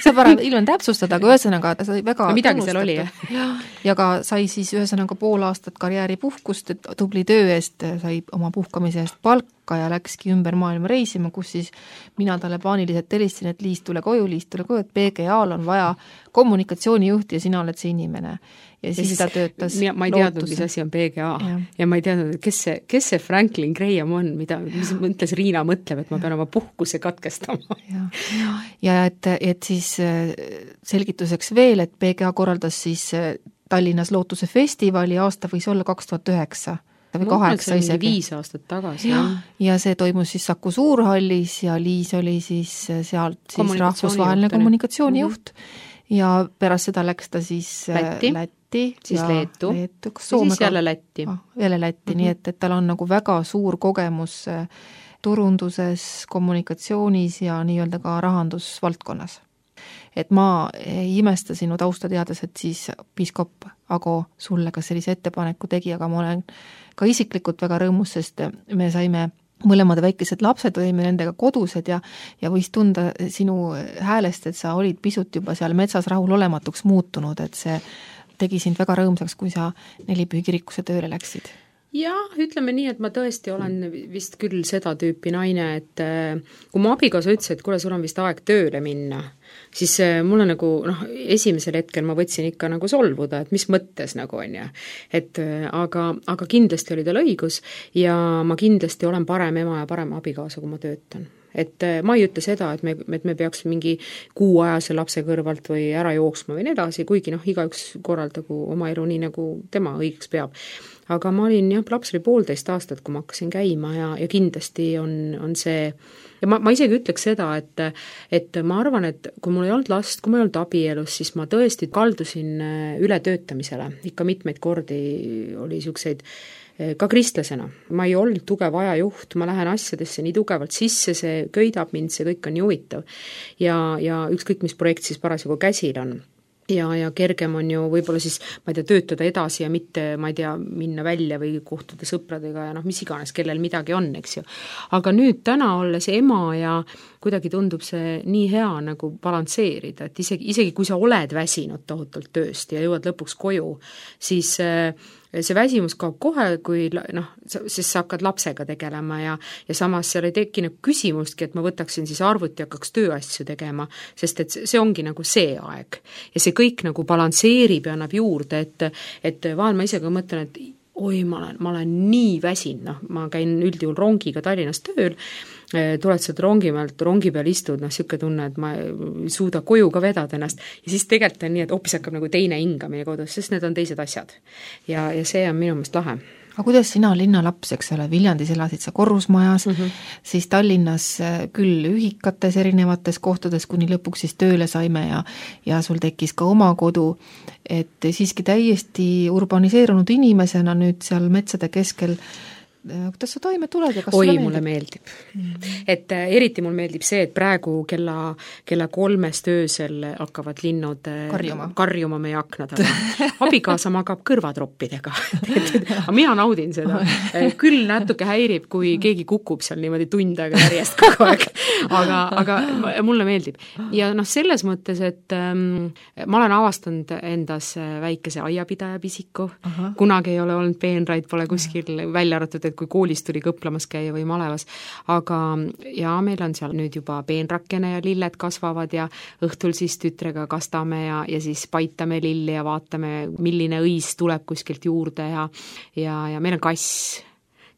Saab ära ilmen täpsustada, aga ühesõnaga ta sai väga no, midagi seal oli, jah. Ja, ja ka sai siis ühesõnaga pool aastat karjääripuhkust, et tubli töö eest sai oma puhkamise eest palka ja läkski ümber maailma reisima, kus siis mina talle paaniliselt helistasin, et Liis tule koju, Liis tule koju, et P G A-l on vaja kommunikatsioonijuhti ja sina oled see inimene. Ja siis, ja siis ta töötas mina, ma ei teadnud, mis asi on P G A ja, ja ma ei teadnud, kes see, kes see Franklin Graham on, mida, mis mõtles Riina mõtleb, et ma pean oma puhkuse katkestama. Ja, ja, ja et, et siis selgituseks veel, et P G A korraldas siis Tallinnas Lootuse festivali, aasta võis olla kaks tuhat üheksa või kaheksa isegi. viis aastat tagasi. Ja, ja see toimus siis Saku Suurhallis ja Liis oli siis sealt siis rahvusvaheline kommunikatsioonijuht mm-hmm. ja pärast seda läks ta siis Lätti, Lätti siis ja Leetu, Leetu ja siis jälle Lätti. Ah, jälle Lätti, mm-hmm. nii et, et tal on nagu väga suur kogemus turunduses, kommunikatsioonis ja nii-öelda ka rahandusvaldkonnas. Et ma ei imesta sinu tausta teades, et siis piiskop Ago sulle ka sellise ettepaneku tegi, aga ma olen ka isiklikult väga rõõmus, sest me saime mõlemad väikesed lapsed, olime nendega kodused ja, ja võis tunda sinu häälest, et sa olid pisut juba seal metsas rahulolematuks muutunud, et see tegi sind väga rõõmsaks, kui sa Nelipühi kirikusse tööle läksid. Jah, ütleme nii, et ma tõesti olen vist küll seda tüüpi naine, et kui mu abikaasa ütles, et kuule, sul on vist aeg tööle minna, siis mulle nagu, noh, esimesel hetkel ma võtsin ikka nagu solvuda, et mis mõttes nagu on ja, et aga, aga kindlasti oli tal õigus ja ma kindlasti olen parem ema ja parem abikaasa, kui ma töötan. Et ma ei ütle seda, et me, et me peaks mingi kuuajase lapse kõrvalt või ära jooksma või nii edasi, kuigi noh, igaüks korraldagu oma elu nii, nagu tema õigeks peab. aga ma olin jah, laps oli poolteist aastat, kui ma hakkasin käima ja, ja kindlasti on, on see ja ma, ma isegi ütleks seda, et, et ma arvan, et kui mul ei olnud last, kui ma ei olnud abielus, siis ma tõesti kaldusin ületöötamisele, ikka mitmeid kordi oli niisuguseid ka kristlasena. Ma ei olnud tugev ajajuht, ma lähen asjadesse nii tugevalt sisse, see köidab mind, see kõik on nii huvitav. Ja, ja ükskõik, mis projekt siis parasjagu käsil on. Ja, ja kergem on ju võib-olla siis, ma ei tea, töötada edasi ja mitte, ma ei tea, minna välja või kohtuda sõpradega ja noh, mis iganes, kellel midagi on, eks ju. Aga nüüd täna olles ema ja kuidagi tundub see nii hea nagu balansseerida, et isegi, isegi kui sa oled väsinud tohutult tööst ja jõuad lõpuks koju, siis see väsimus kaob kohe, kui noh, siis sa hakkad lapsega tegelema ja, ja samas seal ei tekkinud küsimustki, et ma võtaksin siis arvuti ja hakkaks tööasju tegema, sest et see ongi nagu see aeg. Ja see kõik nagu balansseerib ja annab juurde, et, et vahel ma ise ka mõtlen, et oi, ma olen, ma olen nii väsin, noh, ma käin üldjuhul rongiga Tallinnas tööl, tuled sealt rongi pealt, rongi peal istud, noh, siuke tunne, et ma ei suuda koju ka vedada ennast ja siis tegelikult on nii, et hoopis hakkab nagu teine hingamine kodus, sest need on teised asjad. Ja, ja see on minu meelest lahe. Aga kuidas sina linnalaps, eks ole, Viljandis elasid sa korrusmajas, mm -hmm. siis Tallinnas küll ühikates erinevates kohtades, kuni lõpuks siis tööle saime ja, ja sul tekkis ka oma kodu, et siiski täiesti urbaniseerunud inimesena nüüd seal metsade keskel, kuidas sa toime tuled ja kas Oi, sulle mulle meeldib. Mm. Et äh, eriti mul meeldib see, et praegu kella, kella kolmest öösel hakkavad linnud karjuma, karjuma meie aknad, aga abikaasa magab kõrvatroppidega. Aga mina naudin seda. Küll natuke häirib, kui keegi kukub seal niimoodi tund aega järjest kogu aeg. Aga, aga mulle meeldib. Ja noh, selles mõttes, et ähm, ma olen avastanud endas väikese aiapidaja pisiku. Aha. Kunagi ei ole olnud peenraid, pole kuskil välja arvatud, et kui koolis tuli kõplamas käia või malevas, aga ja meil on seal nüüd juba peenrakene ja lilled kasvavad ja õhtul siis tütrega kastame ja, ja siis paitame lilli ja vaatame, milline õis tuleb kuskilt juurde ja, ja, ja meil on kass,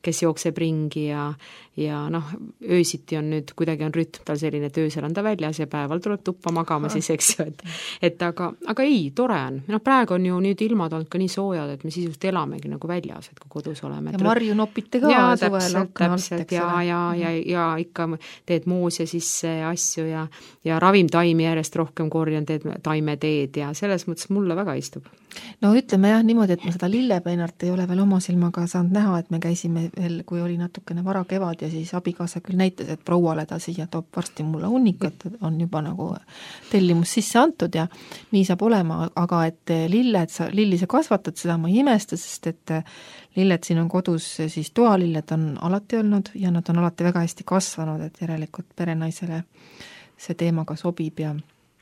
kes jookseb ringi ja, ja noh, öösiti on nüüd, kuidagi on rütm tal selline, et öösel on ta väljas ja päeval tuleb tuppa magama siis, eks ju, et, et aga, aga ei, tore on. Noh, praegu on ju nüüd ilmad olnud ka nii soojad, et me sisust elamegi nagu väljas, et kui kodus oleme. Ja marju nopite ka ja, suvel akna alt, ja, ja, ja, ja ikka teed moose sisse asju ja, ja ravimtaimi järjest rohkem korjan, teed taimeteed ja selles mõttes mulle väga istub. No ütleme jah niimoodi, et ma seda lillepeenart ei ole veel oma silmaga saanud näha, et me käisime veel, kui oli natukene vara kevad ja siis abikaasa küll näitas, et prouale ta siia toob varsti mulle hunnikat, on juba nagu tellimus sisse antud ja nii saab olema, aga et lilled, sa, lilli sa kasvatad, seda ma ei imesta, sest et lilled siin on kodus, siis toalilled on alati olnud ja nad on alati väga hästi kasvanud, et järelikult perenaisele see teema ka sobib ja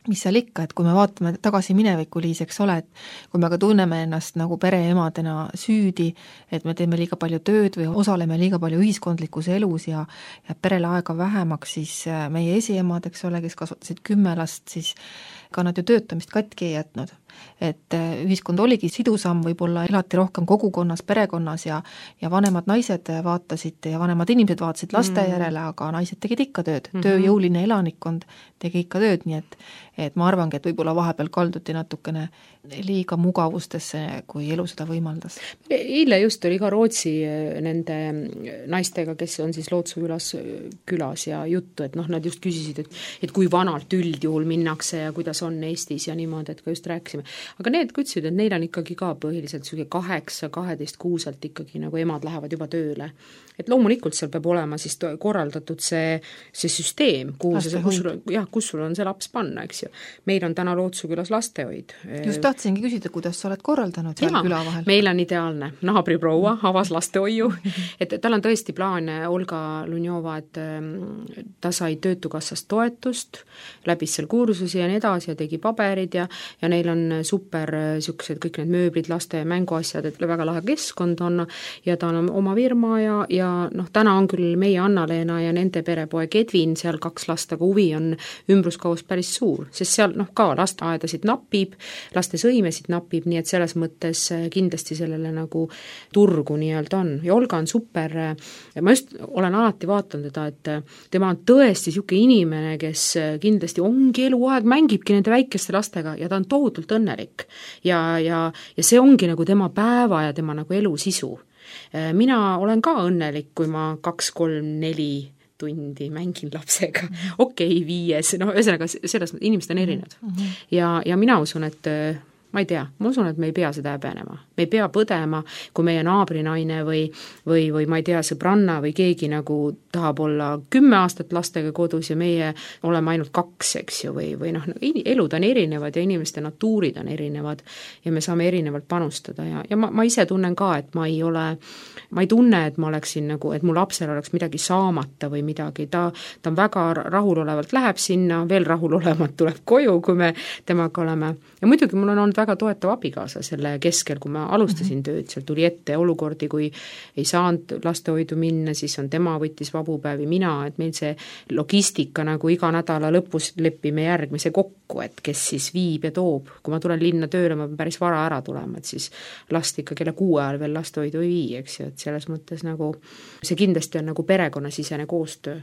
mis seal ikka, et kui me vaatame tagasi mineviku, Liis, eks ole, et kui me ka tunneme ennast nagu pereemadena süüdi, et me teeme liiga palju tööd või osaleme liiga palju ühiskondlikus elus ja, ja perele aega vähemaks, siis meie esiemad, eks ole, kes kasvatasid kümme last, siis ka nad ju töötamist katki ei jätnud. Et ühiskond oligi sidusam, võib-olla elati rohkem kogukonnas, perekonnas ja, ja vanemad naised vaatasid ja vanemad inimesed vaatasid laste mm. järele, aga naised tegid ikka tööd. Mm-hmm. Tööjõuline elanikkond tegi ikka tööd, nii et, et ma arvangi, et võib-olla vahepeal kalduti natukene liiga mugavustesse, kui elu seda võimaldas. Eile just oli ka Rootsi nende naistega, kes on siis Lootsu külas, külas ja juttu, et noh, nad just küsisid, et, et kui vanalt üldjuhul minnakse ja kuidas on Eestis ja niimoodi, et ka just rääkisime. Aga need kutsusid, et neil on ikkagi ka põhiliselt kaheksa, kaheteist kuuselt ikkagi nagu emad lähevad juba tööle. Et loomulikult seal peab olema siis korraldatud see, see süsteem, kuhu see, kus, sul, jah, kus sul on see laps panna, eks ju. Meil on täna Lootsu külas lastehoid. Just tahtsingi küsida, kuidas sa oled korraldanud seal ja, küla vahel? Meil on ideaalne. Naabriproua avas lastehoiu, et tal on tõesti plaan Olga Lunjova, et ta sai Töötukassast toetust, läbis seal kursusi ja nii edasi ja tegi paberid ja, ja neil on super siuksed kõik need mööblid, laste mänguasjad, et väga lahe keskkond on ja ta on oma firma ja, ja noh, täna on küll meie Anna-Leena ja nende perepoeg Edvin seal kaks last, aga huvi on ümbruskaus päris suur sest seal noh, ka lasteaedasid napib, laste sõimesid napib, nii et selles mõttes kindlasti sellele nagu turgu nii-öelda on. Ja Olga on super, ma just olen alati vaatanud teda, et tema on tõesti niisugune inimene, kes kindlasti ongi eluaeg, mängibki nende väikeste lastega ja ta on tohutult õnnelik. Ja, ja, ja see ongi nagu tema päeva ja tema nagu elu sisu. Mina olen ka õnnelik, kui ma kaks, kolm, neli tundi mängin lapsega, okei okay,, viies, no ühesõnaga selles inimesed on erinevad. Mm-hmm. Ja, ja mina usun, et ma ei tea, ma usun, et me ei pea seda häbenema. Me ei pea põdema, kui meie naabrinaine või, või, või ma ei tea, sõbranna või keegi nagu tahab olla kümme aastat lastega kodus ja meie oleme ainult kaks, eks ju, või, või noh, elud on erinevad ja inimeste natuurid on erinevad ja me saame erinevalt panustada ja, ja ma, ma ise tunnen ka, et ma ei ole, ma ei tunne, et ma oleksin nagu, et mu lapsel oleks midagi saamata või midagi, ta, ta on väga rahulolevalt läheb sinna, veel rahulolevat tuleb koju, kui me temaga oleme ja muidugi mul on olnud väga toetav abikaasa selle keskel, kui ma alustasin tööd, seal tuli ette olukordi, kui ei saanud lastehoidu minna, siis on tema võttis vabupäevi, mina, et meil see logistika nagu iga nädala lõpus lepime järgmise kokku, et kes siis viib ja toob. Kui ma tulen linna tööle, ma pean päris vara ära tulema, et siis last ikka kella kuue ajal veel lastehoidu ei vii, eks ju, et selles mõttes nagu see kindlasti on nagu perekonnasisene koostöö.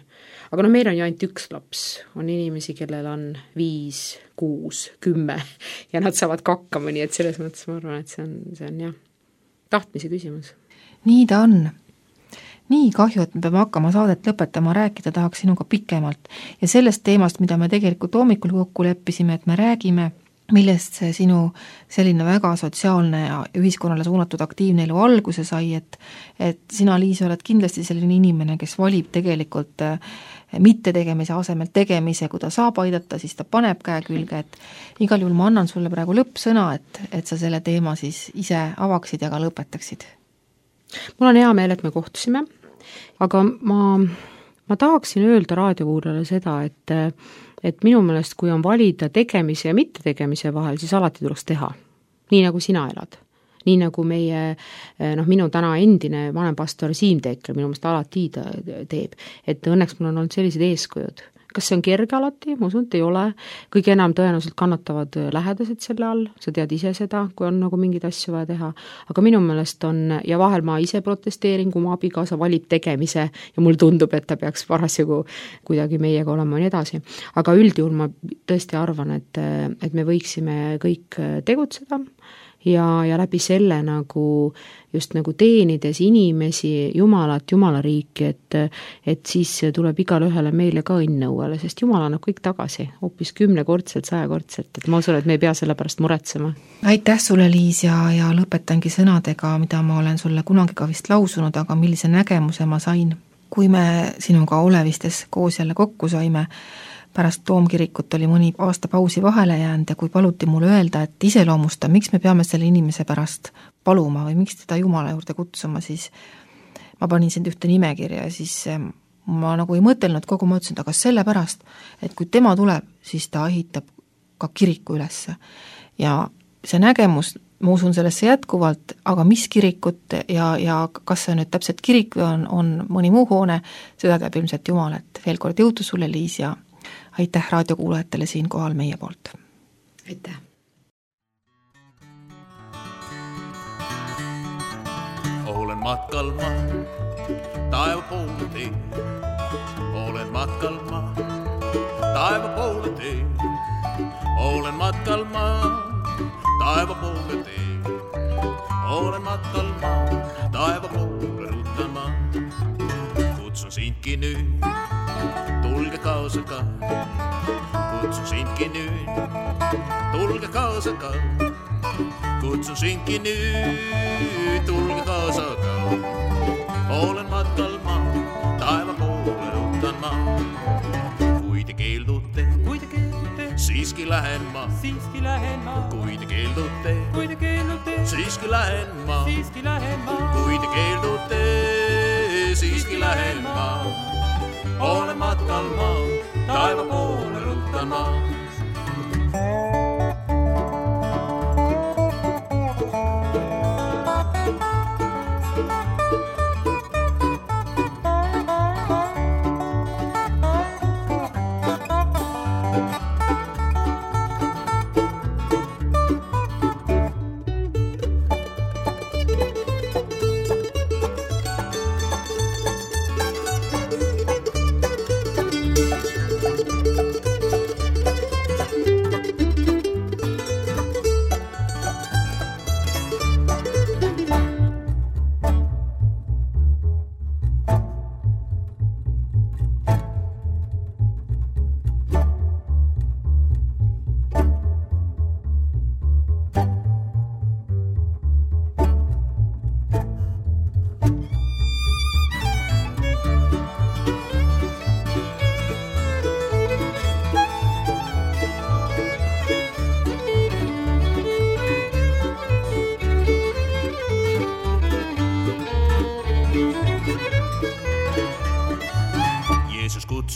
Aga no meil on ju ainult üks laps, on inimesi, kellel on viis, kuus, kümme ja nad saavad kakkama, nii et selles mõttes ma arvan, et see on, see on jah, tahtmise küsimus. Nii ta on. Nii kahju, et me peame hakkama saadet lõpetama, rääkida tahaks sinuga pikemalt ja sellest teemast, mida me tegelikult hommikul kokku leppisime, et me räägime, millest see sinu selline väga sotsiaalne ja ühiskonnale suunatud aktiivne elu alguse sai, et, et sina, Liis, oled kindlasti selline inimene, kes valib tegelikult mitte tegemise asemel tegemise, kui ta saab aidata, siis ta paneb käe külge, et igal juhul ma annan sulle praegu lõppsõna, et, et sa selle teema siis ise avaksid ja ka lõpetaksid. Mul on hea meel, et me kohtusime, aga ma, ma tahaksin öelda raadiokuulajale seda, et et minu meelest, kui on valida tegemise ja mitte tegemise vahel, siis alati tuleks teha. Nii nagu sina elad. Nii nagu meie, noh, minu täna endine vanempastor Siim Teekler minu meelest alati teeb. Et õnneks mul on olnud sellised eeskujud. Kas see on kerge alati? Ma usun, et ei ole. Kõige enam tõenäoliselt kannatavad lähedased selle all. Sa tead ise seda, kui on nagu mingid asju vaja teha. Aga minu meelest on, ja vahel ma ise protesteerin, kui mu abikaasa valib tegemise ja mul tundub, et ta peaks parasjagu kuidagi meiega olema ja nii edasi. Aga üldjuhul ma tõesti arvan, et, et me võiksime kõik tegutseda ja, ja läbi selle nagu just nagu teenides inimesi, Jumalat, Jumala riiki, et, et siis tuleb igale ühele meile ka õnnõuele, sest Jumal annab kõik tagasi, hoopis kümnekordselt, sajakordselt, et ma usun, et me ei pea selle pärast muretsema. Aitäh sulle, Liis, ja, ja lõpetangi sõnadega, mida ma olen sulle kunagi ka vist lausunud, aga millise nägemuse ma sain, kui me sinuga Olevistes koos jälle kokku saime. Pärast Toomkirikut oli mõni aasta pausi vahele jäänud ja kui paluti mulle öelda, et iseloomusta, miks me peame selle inimese pärast paluma või miks teda Jumala juurde kutsuma, siis ma panin sind ühte nimekirja ja siis ma nagu ei mõtelnud kogu, ma ütlesin, aga sellepärast, et kui tema tuleb, siis ta ehitab ka kiriku ülesse. Ja see nägemus, ma usun sellesse jätkuvalt, aga mis kirikut ja, ja kas see nüüd täpselt kirik või on, on mõni muu hoone, seda teab ilmselt Jumal, et veel kord jõudu sulle, Liis, ja aitäh raadiokuulajatele siin kohal meie poolt. Aitäh. Olen matkal ma, taeva poole tee. Olen matkal ma, taeva poole tee. Olen matkal ma, taeva poole tee. Olen matkal ma, taeva poole ruttan ma. Kutsun sindki nüüd. Tulge kaasa ka, kutsun sindki nüüd, tulge kaasa ka, kutsun sindki nüüd, tulge kaasa ka. Olen matkal ma, taeva poole ruttan ma. Kui te keeldute, kui te keeldute, siiski lähen ma, siiski lähen ma. Kui te keeldute, kui te keeldute, siiski lähen ma, siiski lähen ma. Kui te keeldute, siiski lähen ma. Olen matkal ma, taeva poole ruttan ma.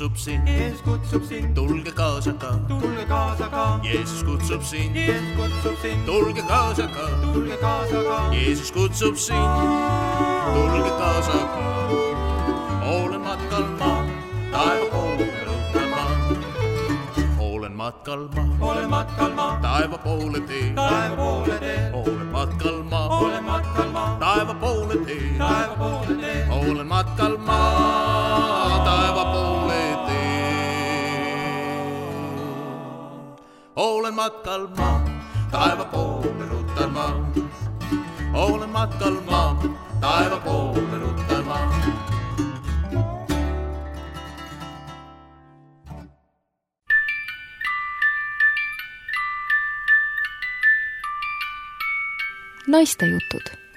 kutsub sind, Jeesus kutsub sind, tulge kaasa ka, tulge kaasa ka, Jeesus kutsub sind, Jeesus kutsub sind, tulge kaasa ka, tulge kaasa ka, Jeesus kutsub sind, tulge kaasa ka. Olen matkal ma, taeva poole ruttan ma. Olen matkal ma, olen matkal ma, taeva poole tee. taeva poole tee, Olen matkal ma, olen matkal ma, taeva poole tee. taeva poole tee, Olen matkal ma, taeva poole tee. Olen matkal ma, taeva poole ruttan ma. Olen matkal ma, taeva poole ruttan ma. Naiste jutud.